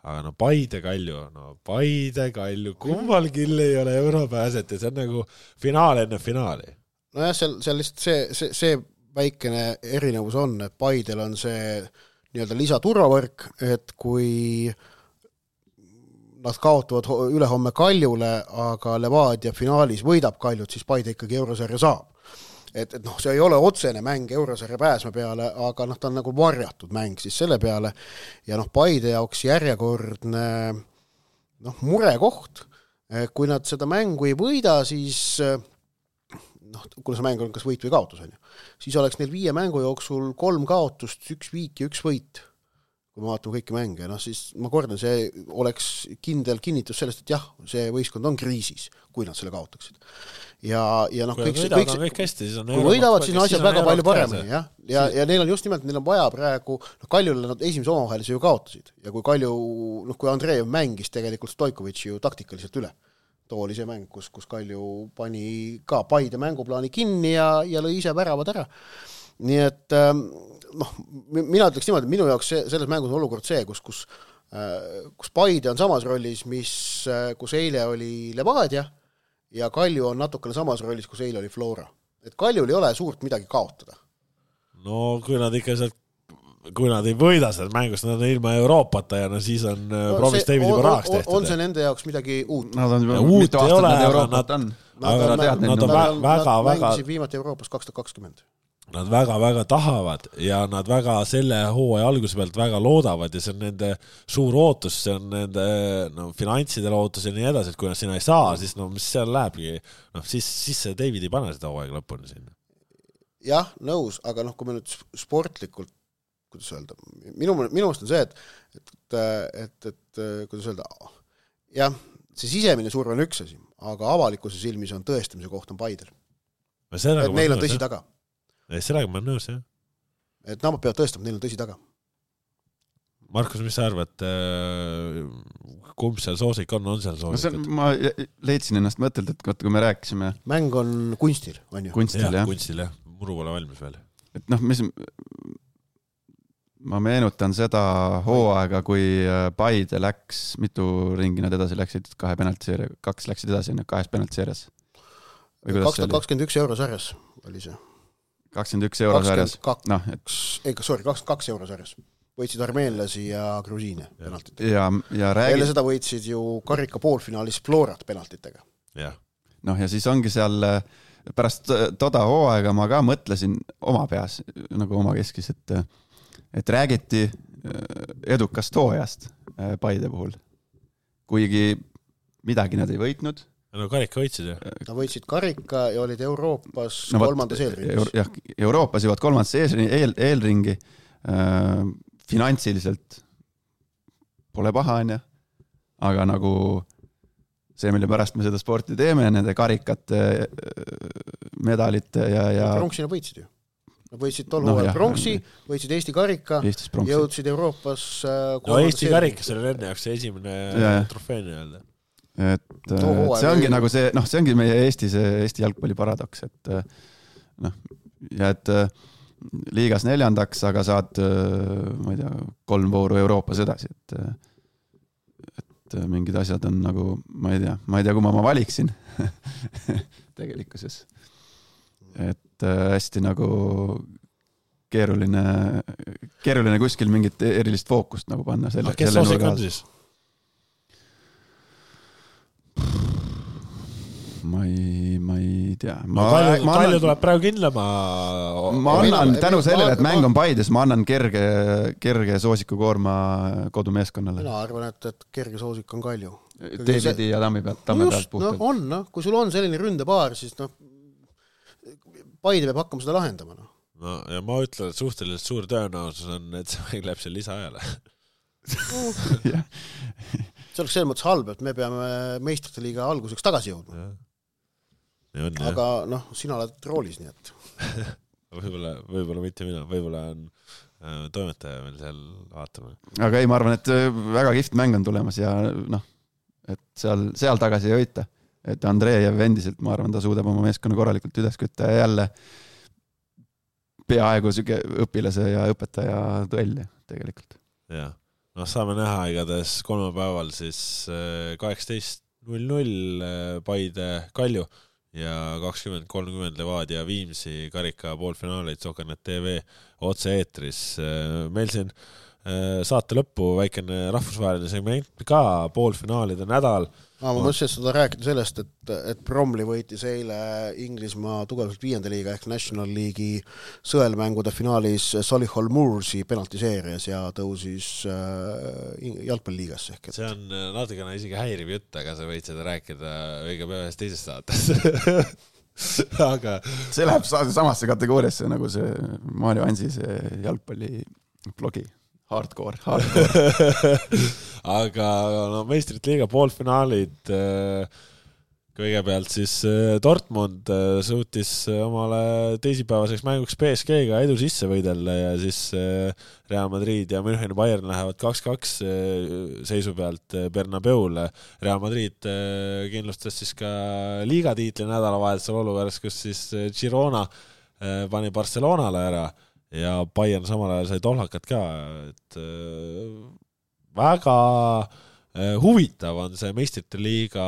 aga no Paide Kalju, no Paide Kalju, kummal kill ei ole europääset ja see on nagu finaal enne finaali. Nojah, seal, seal lihtsalt see, see, see väikene erinevus on, et Paidel on see nii-öelda lisaturvavõrk, et kui nad kaotavad ülehomme Kaljule, aga Levadia finaalis võidab Kaljut, siis Paide ikkagi eurosarja saab. Et, et noh, see ei ole otsene mäng eurosarja pääsme peale, aga noh, ta on nagu varjatud mäng siis selle peale ja noh, Paide jaoks järjekordne noh, murekoht. Kui nad seda mängu ei võida, siis noh, kuna see mäng on kas võit või kaotus, on ju, siis oleks neil viie mängu jooksul kolm kaotust, üks viik ja üks võit. Kui me vaatame kõiki mänge, noh siis ma kordan, see oleks kindel kinnitus sellest, et jah, see võistkond on kriisis, kui nad selle kaotaksid. Ja, ja noh, kõik, kõik, kõik, kõik hästi, siis on kui võidavad, siis on asjad väga palju paremini, jah. Ja, ja neil on just nimelt, neil on vaja praegu, noh Kaljule nad esimese omavahelise ju kaotasid ja kui Kalju, noh kui Andreev mängis tegelikult Stojkovitši ju taktikaliselt üle. Too oli see mäng, kus, kus Kalju pani ka Paide mänguplaani kinni ja, ja lõi ise väravad ära. Nii et noh, mina ütleks niimoodi, minu jaoks see, selles mängus on olukord see, kus, kus, kus Paide on samas rollis, mis, kus eile oli Levadia ja Kalju on natukene samas rollis, kus eile oli Flora. Et Kaljul ei ole suurt midagi kaotada. No kui nad ikka sealt kui nad ei võida seda mängust, nad on ilma Euroopata ja no siis on no, Provis David juba rahaks tehtud. On see nende jaoks midagi uut? Nad on juba uut mitu aastat nad Euroopat on. Nad, nad, nad, nad, nad, väga, nad mängisid viimati Euroopas kaks tuhat kakskümmend. Nad väga-väga tahavad ja nad väga selle hooaja alguse pealt väga loodavad ja see on nende suur ootus, see on nende no, finantsidele ootus ja nii edasi, et kui nad sinna ei saa, siis no mis seal lähebki, no siis, siis see David ei pane seda hooaega lõpuni sinna. Jah, nõus, aga noh, kui me nüüd sportlikult kuidas öelda, minu, minu mõist on see, et, et, et, et kuidas öelda, jah, see sisemine surve on üks asi, aga avalikkuse silmis on tõestamise koht on Paidel. Et neil on tõsi jah. Taga. Sellega ma olen nõus, jah. Et nad peavad tõestama, et neil on tõsi taga. Markus, mis sa arvad, kumb seal soosik on, on seal soosik? No ma leidsin ennast mõtelt, et kui me rääkisime... Mäng on kunstil, on ju? Kunstil, jah. jah. Kunstil, jah. Muru pole valmis veel. Et noh, mis... Ma meenutan seda hooaega, kui Paide läks, mitu ringi nad edasi läksid, kahe penaltiseeria, kaks läksid edasi, kahes penaltiseerias. kaks tuhat kakskümmend üks eurosarjas oli see. kakskümmend üks eurosarjas. No, et... ei, sorry, kakskümmend kaks eurosarjas. Võitsid armeenlasi ja grusiine penaltitega. Ja, ja räägi... Eile seda võitsid ju karika poolfinaalis Florat penaltitega. Ja. Noh, ja siis ongi seal pärast toda hooaega ma ka mõtlesin oma peas, nagu oma keskis, et et räägiti edukast hooajast Paide puhul. Kuigi midagi nad ei võitnud. No karika võitsid, jah? Nad võitsid karika ja olid Euroopas no, kolmandas eelringis. Euro, jah, Euroopas jõuad kolmandas eel, eelringi. Äh, finantsiliselt pole paha, on ja. Aga nagu see, mille pärast me seda sporti teeme, nende karikate, medalite ja... ja... Pronksina võitsid ju. Nad võitsid tol no, hooajal pronksi, võitsid Eesti karika, jõudsid Euroopas no Eesti karikas oli enne jaoks see esimene trofee nii-öelda. Et no, see ongi või... nagu see, noh, see ongi meie Eesti, see Eesti jalgpalli paradoks, et noh, ja et liigas neljandaks, aga saad, ma ei tea, kolm vooru Euroopas edasi, et et mingid asjad on nagu, ma ei tea, ma ei tea, kui ma ma valiksin tegelikkuses. Et hästi nagu keeruline, keeruline kuskil mingit erilist fookust nagu panna. Selle, no, kes soosik on siis? Ma ei, ma ei tea. Ma, no, palju, ma annan, palju tuleb praegu kindla, ma... Ma annan tänu sellele, et mäng on Paides, ma annan kerge, kerge soosikukoorma kodumeeskonnale. Mina arvan, et, et kerge soosik on Kalju. Davidi ja Tammi pealt, Tamme no pealt puhtalt. No on, no. Kui sul on selline ründepaar, siis noh, Paide peab hakkama seda lahendama. No. No, ja ma ütlen, et suhteliselt suur tõenäosus on, et see mäng läheb seal lisaajale. see oleks selles mõttes halb, et me peame meistrite liiga alguseks tagasi jõudma. On, aga noh, sina oled roolis, nii et võib-olla, võib-olla mitte mina, võib-olla on äh, toimetaja meil seal vaatama. Aga ei, ma arvan, et väga kihvt mäng on tulemas ja noh, et seal, seal tagasi ei hoita. Et Andreev endiselt, ma arvan, ta suudab oma meeskonna korralikult üles kütta ja jälle peaaegu süge õpilase ja õpetaja duelli tegelikult. Jah. noh, saame näha igatahes kolmapäeval siis kaheksateist null null Paide Kalju ja kakskümmend kolmkümmend Levadia Viimsi karika poolfinaalid Sokanet T V otse-eetris. Meil siin saate lõppu väikene rahvusvaheline segment ka, poolfinaalide nädal. Ah, ma mõtlesin seda rääkida sellest, et, et Bromley võitis eile Inglismaa tugevalt viienda liiga ehk National League'i sõelmängude finaalis Solihull Moorsi penaltiseerias ja tõusis äh, jalgpalliliigasse. Ehk, et... See on natukene isegi häiriv jutt, aga sa võid seda rääkida õige päeva ühes teises saates. aga... See läheb samasse kategooriasse nagu see Mario Ansi see jalgpalli blogi. Hardcore, hardcore. aga no, meistrite liiga poolfinaalid, kõigepealt siis Dortmund suutis omale teisipäevaseks mänguks P S G-ga edu sisse võidella ja siis Real Madrid ja München Bayern lähevad kaks kaks seisu pealt Bernabeule. Real Madrid kindlustas siis ka liigatiitli nädalavahetusel olukorras, kus siis Girona pani Barcelonale ära ja Bayern samal ajal sai tohlakat ka, et äh, väga äh, huvitav on see meistrite liiga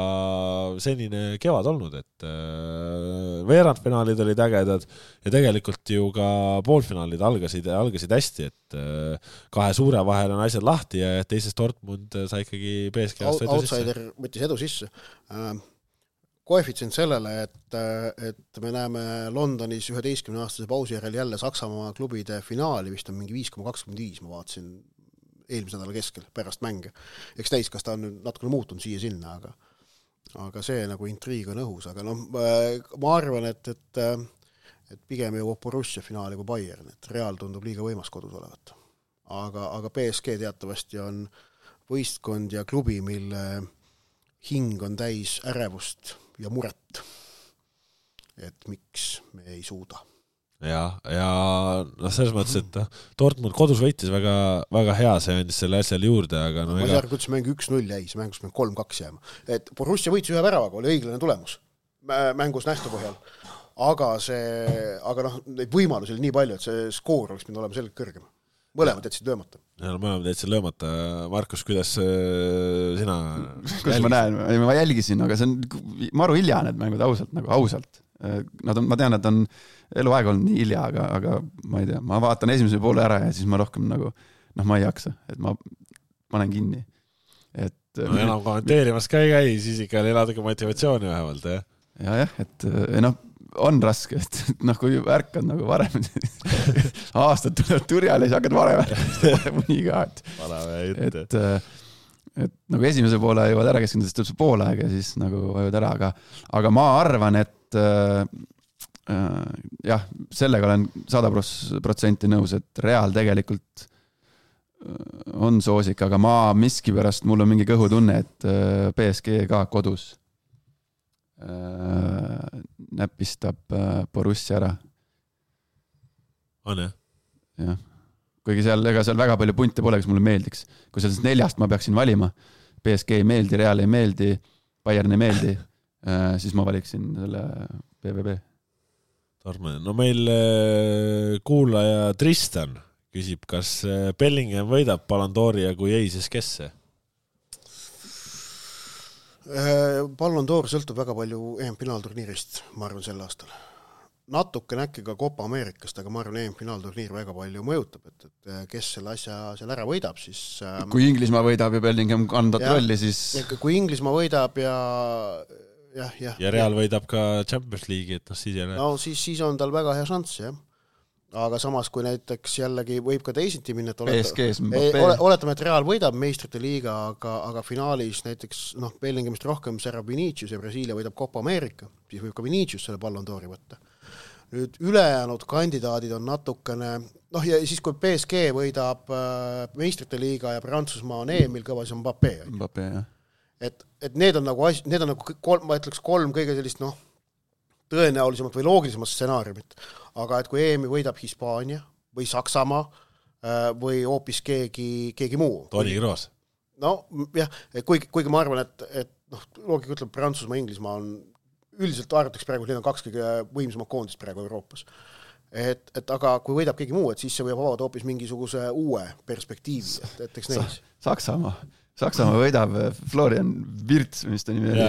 senine kevad olnud, et äh, veerandfinaalid olid ägedad ja tegelikult ju ka poolfinaalid algasid, algasid hästi, et äh, kahe suure vahel on asjad lahti ja teises Dortmund sai ikkagi P S G outsider võttis edu sisse. Äh, koefitsient sellele, et, et me näeme Londonis üheteistkümne aastase pausi järel jälle Saksamaa klubide finaali, vist on mingi viis koma kakskümmend viis, ma vaatasin eelmise nädala keskel pärast mänge. Eks näis, kas ta on natukene muutunud siia sinna, aga, aga see nagu intriig on õhus, aga noh, ma arvan, et, et, et pigem jõuab Borussia finaali kui Bayern, et Real tundub liiga võimas kodus olevat. Aga, aga P S G teatavasti on võistkond ja klubi, mille hing on täis ärevust ja muret, et miks me ei suuda. Ja, ja no selles mõttes, et Dortmund kodus võitis väga, väga hea, see andis selle asjal juurde, aga no ma ei ega... arva, kuidas mäng üks null jäi, see mängus mäng kolm kaks jääma. Et Borussia võitis ühe väravaga, oli õiglane tulemus mängus nähtu põhjal, aga see, aga noh, neid võimalusi oli nii palju, et see skoor oleks pidanud olema selgelt kõrgem. Mõlemad jätsid löömata. Ja, mõlemad jätsid löömata. Markus, kuidas sina... Kuidas ma näen? Ma jälgisin, aga see on maru hilja need mängud ausalt, nagu ausalt. Nad on, ma tean, et on eluaeg olnud nii hilja, aga, aga ma ei tea, ma vaatan esimese poole ära ja siis ma rohkem nagu, noh, ma ei jaksa, et ma panen kinni. Et, no enam kommenteerimas ka ei käi, siis ikka oli natuke motivatsiooni vähemalt, jah? Ja, jah, et noh, on raske, et noh, kui ärkad nagu varem aastad tulevad turjale, siis hakkad varem ärkad nii ka, et, et, et nagu esimese poole jõuad ära keskenduda, siis tuleb see pool aeg ja siis nagu vajud ära, aga, aga ma arvan, et äh, jah, sellega olen sada protsenti nõus, et Real tegelikult on soosik, aga ma miski pärast, mul on mingi kõhutunne, et P S G ka kodus näpistab Borussia ära. On jah? Jah. Kuigi seal, ega seal väga palju punte pole, kes mulle meeldiks. Kui seal neljast ma peaksin valima, P S G ei meeldi, Real ei meeldi, Bayern ei meeldi, siis ma valiksin selle B V B. Tarme. No meil kuulaja Tristan küsib, kas Bellingham võidab Ballon d'Ori ja kui ei, siis kes see? Ballon d'Or sõltub väga palju E M-finaalturniirist, ma arvan, sel aastal. Natuke näkki ka Copa Amerikast, aga ma arvan, E M-finaalturniir väga palju mõjutab, et, et kes selle asja seal ära võidab, siis... Kui Inglismaa võidab ja Bellingham kandat rolli, siis... Kui Inglismaa võidab ja... jah, jah, ja Real võidab ka Champions League'i, et noh, siis jälle... No siis, siis on tal väga hea šanss, jah. Aga samas, kui näiteks jällegi võib ka teisiti minna, et oleta, oletame, et Real võidab meistrite liiga, aga, aga finaalis näiteks noh, Bellinghamist rohkem särab Vinicius ja Brasiilia võidab Copa America, siis võib ka Vinicius selle Ballon d'Ori võtta. Nüüd ülejäänud kandidaadid on natukene, noh ja siis kui P S G võidab meistrite liiga ja Prantsusmaa on Emil Kõva, siis on Mbappé. Mbappé, jah. Et, et need on nagu, need on nagu kolm, ma ütleks kolm kõige sellist, noh, tõenäolisemalt või loogilisemat stsenaariumit. Aga et kui E M-i võidab Hispaania või Saksamaa või hoopis keegi, keegi muu. Toni Kroos. No jah, kuigi, kuigi ma arvan, et, et noh, loogika ütleb, Prantsusmaa, Inglismaa on üldiselt arvataks praegu, need on kaks kõige võimsamad koondist praegu Euroopas. et, et aga kui võidab keegi muu, et siis see võib avada hoopis mingisuguse uue perspektiivi, et, et eks neis. Saksamaa, Saksamaa võidab Florian Wirtz, mis ta nimi oli,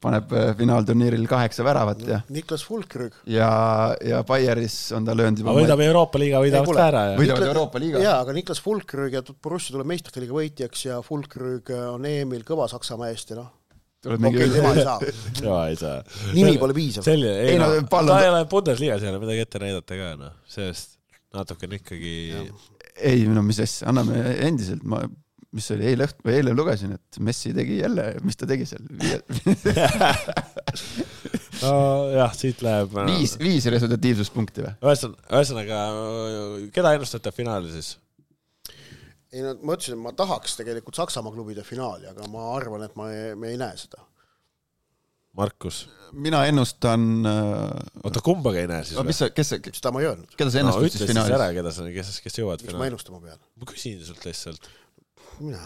paneb finaalturniiril kaheksa väravat ja Niklas Fulkrug ja, ja Bayeris on ta löönud juba võidab Euroopa liiga, võidavad ka ära. Võidavad Euroopa liiga. Jaa, aga Niklas Fulkrug ja Borussia tuleb meistrite liiga võitjaks ja Fulkrug on Emil Kõva Saksamaa eest ja noh, okei, tema ei saa. Tema ei saa. Nimi pole piisav. Selline, ei, ei no, no, ta ei ole Bundesliigas ei ole midagi ette näidata ka, no. Sellest natuke on ikkagi... Ja. Ei, no mis asja, anname endiselt, ma, mis oli eile õht, või eile lugesin, et Messi tegi jälle, mis ta tegi seal? no jah, siit läheb... Viis, viis resultatiivsuspunkti või? Ühesõnaga, keda ennustate finaali siis? Ei, no, ma ütlesin, et ma tahaks tegelikult Saksamaa klubide finaali, aga ma arvan, et ma ei, me ei näe seda. Markus? Mina ennustan... Oota, kumbaga ei näe siis või? Mis, kes, kes, seda ma ei öelnud. Keda sa ennustad no, siis finaalis? Ära, keda sa, kes, kes jõuad finaali? Mis ma ennustama pean? Ma küsin sult lihtsalt. Mina...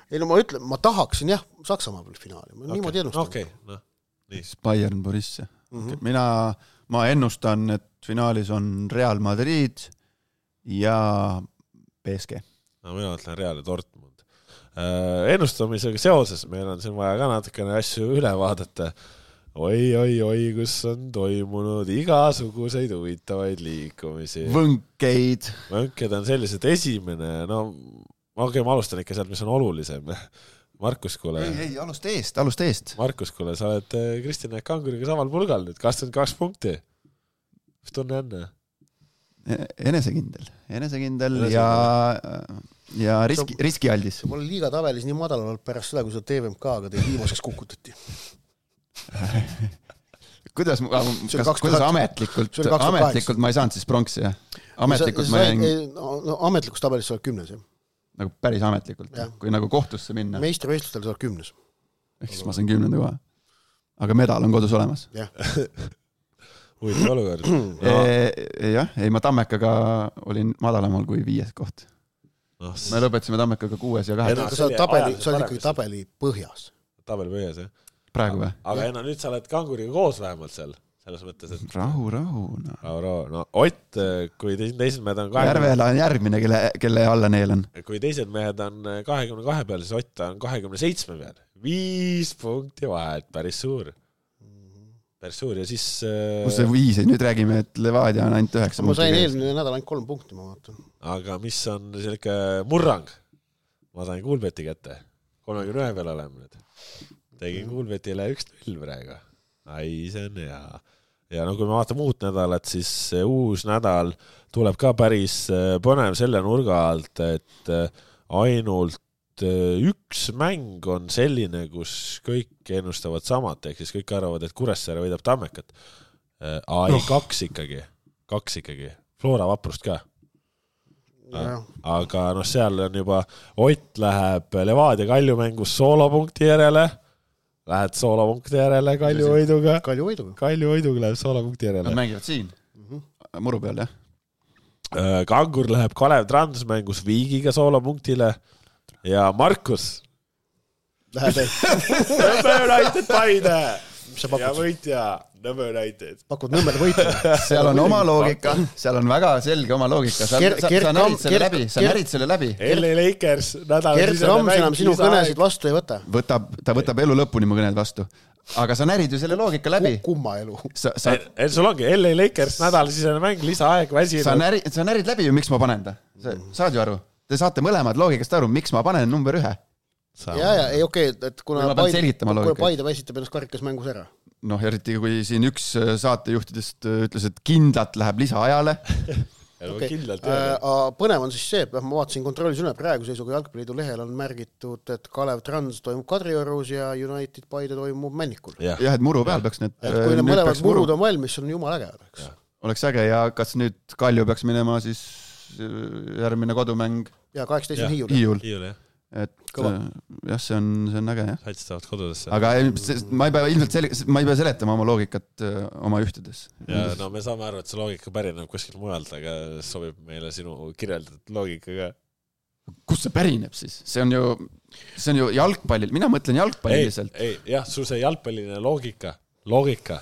Ei, no ma ütlen, ma tahaksin jah, Saksamaa peal finaali. Ma okay. niimoodi ennustan. Okei, okay. no. Nii. Bayern Borussia. Mm -hmm. Mina, ma ennustan, et finaalis on Real Madrid ja P S G. No mina ütlen Real ja Dortmund. Äh, ennustamisega seoses meil on siin vaja ka natukene asju üle vaadata. Oi, oi, oi, kus on toimunud igasuguseid huvitavaid liikumisi. Võnkeid. Võnked on sellised esimene, no okei, ma alustan ikka sealt, mis on olulisem. Markus, kuule. Ei, ei, alust eest, alust eest. Markus, kuule, sa oled Kristjan Kanguriga samal pulgal nüüd, kakskümmend kaks punkti. Mis tunne enne? Enesekindel, enesekindel Enesekindel. ja, ja riski, riskialdis. Ma olen liiga tabelis nii madal olnud pärast seda, kui seda T V M K-ga teil viimaseks kukutati. kuidas, kas, kuidas ametlikult, ametlikult ma ei saanud siis pronksi, jah? Ametlikult sa, ma jäin... No, no, ametlikus tabelis sa oled kümnes, jah? Nagu päris ametlikult, ja. Kui nagu kohtusse minna. Meistrivõistlustel sa oled kümnes. Ehk siis ma sain kümnenda koha. Aga medal on kodus olemas. Jah. Huvitav olukord. No. E, jah, ei ma Tammekaga olin madalamal kui viies koht. No, me lõpetasime Tammekaga kuues ja kaheksa. Sa oled tabeli, sa oled ikkagi tabeli põhjas. Tabeli põhjas, jah. Praegu või? Aga enna, nüüd sa oled Kanguriga koos vähemalt seal. Selles mõttes, et... Rahu, rahu. No, rahu, rahu. No Ott, kui teised mehed on... kahekümne... Järvela on järgmine, kelle, kelle alla neil on. Kui teised mehed on kahekümne kahe peal, siis Ott on kahekümne seitsme peal. Viis punkti vahet, päris suur. Päris suur ja siis... Kus see viis, nüüd räägime, et Levadia on ainult üheksa ma punkti. Ma sain eelmine nädal ainult kolm punkti, ma vaatan. Aga mis on selline murrang? Ma sain Kuulbeti kätte. kolmekümne ühe peal oleme nüüd. Tegin Kuulbetile üks null praegu. Ai, see on hea. Ja no kui me vaatame uut nädalat, siis uus nädal tuleb ka päris põnev selle nurga alt, et ainult üks mäng on selline, kus kõik ennustavad samat, ehk siis kõik arvavad, et Kuressaare võidab Tammekat. Ai, no. kaks ikkagi. Kaks ikkagi. Flora Vaprust ka. Ja. Aga noh, seal on juba Ott läheb Levadia Kalju mängus soolopunkti järele. Lähed soolopunkti järele Kalju võiduga. Kalju võiduga. Kalju võiduga läheb soolopunkti järele. Nad mängivad siin. Mm-hmm. Muru peal, jah. Kangur läheb Kalev Trans mängus Viigiga soolopunktile. Ja Markus Läheb ei Nõmme United Paide ja võitja Nõmme United pakud Nõmmele võitja seal on oma loogika, seal on väga selge oma loogika sa, Ger, sa, Ger, sa närid selle Ger, läbi sa Ger, närid selle läbi L A Lakers Gert Rams enam sinu kõnesid vastu ei võta võtab, ta võtab elu lõpuni mu kõned vastu aga sa närid ju selle loogika läbi kumma elu sa, sa... El, sul ongi L A Lakers nädalasisene mäng lisaaeg väsinud sa, näri, sa närid läbi ju miks ma panen ta sa, saad ju aru Te saate mõlemad loogikast aru, miks ma panen number ühe? Ja, ja, ei okei, okay, et kuna Paide, kuna Paide väsitab ennast karikas mängus ära. Noh, eriti kui siin üks saatejuhtidest ütles, et kindlalt läheb lisaajale. Okay. Kindlalt, äh, põnev on siis see, et ma vaatasin kontrollis üle praegu seisuga Jalgpalliliidu lehel on märgitud, et Kalev Trans toimub Kadriorus ja United Paide toimub Männikul. Ja, ja et muru peal peaks need... Et kui need mõlemad murud on valmis, on jumal äge. Oleks, oleks äge ja kas nüüd Kalju peaks minema siis järgmine kodumäng ja kaheksateist on Hiiul, Hiiul. Hiiul jah. Et Kõva. jah, see on, see on äge jah. Saitstavad kodudesse. Aga ma ei pea ilmselt sel, ma ei pea seletama oma loogikat oma ühtedes. Ja no me saame aru, et see loogika pärineb kuskil mujalt, aga sobib meile sinu kirjeldatud loogikaga. Kus see pärineb siis? See on ju, see on ju jalgpallil, mina mõtlen jalgpalliliselt. Ei, ei, jah, sul see jalgpalliline loogika, loogika.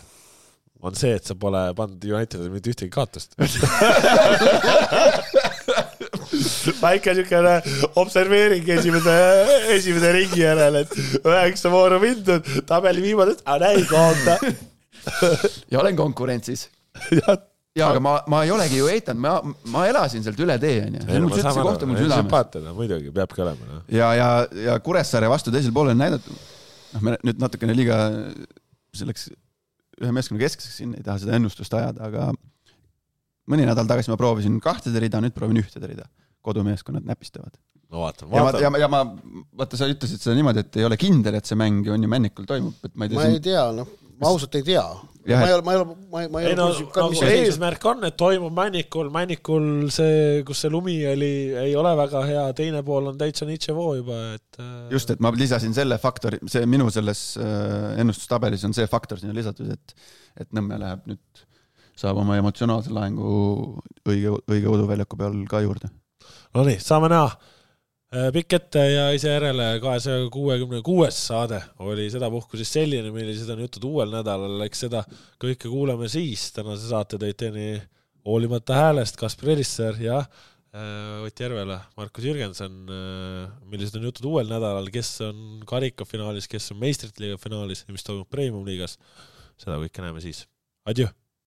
on see, et sa pole pannud Unitedile mitte ühtegi kaotust. Väike niisugune observeering esimene, esimene ringi järel, et üheksa vooru mindud, tabeli viimasest, aga näi kaota. Ja olen konkurentsis. Ja, aga ma, ma ei olegi ju eitanud, ma, ma elasin sealt üle tee. See mul sütsi kohta mul südames. Sümpaatina, muidugi, peabki olema. No. Ja, ja, ja Kuressaare vastu teisel poole on näidatud, noh, me nüüd natukene liiga selleks ühe meeskonna keskeseks siin ei taha seda ennustust ajada, aga mõni nädal tagasi ma proovisin kahtede rida, nüüd proovin ühtede rida. Kodumeeskonnad näpistavad. No vaatan, vaatan. Ja, ma, ja, ja ma, vaata, sa ütlesid seda niimoodi, et ei ole kindel, et see mäng on ju Männikul toimub. Et ma ei tea, ma ei tea, noh, ma ausalt ei tea. Ja, ma ei ole, ma ei ole, ma ei, ma ei, ei no, no, no eesmärk on, et toimub Männikul, Männikul see, kus see lumi oli, ei ole väga hea, teine pool on täitsa Nitševoo juba, et just, et ma lisasin selle faktori, see minu selles ennustustabelis on see faktor sinna lisatud, et, et Nõmme läheb nüüd, saab oma emotsionaalse lahengu õige, õige uduväljaku peal ka juurde. No nii, saame näha. Pikk ette ja ise järele kahesaja kuuekümne kuues saade oli seda puhku siis selline, millised on jutud uuel nädalal, eks seda kõike kuuleme siis. Tänase saate tõid teeni hoolimata häälest Kaspar Elisser ja Ott Järvela, Markus Jürgensen, millised on jutud uuel nädalal, kes on karikafinaalis, kes on meistrite liiga finaalis ja mis toimub Premium liigas. Seda kõike näeme siis. Adjö!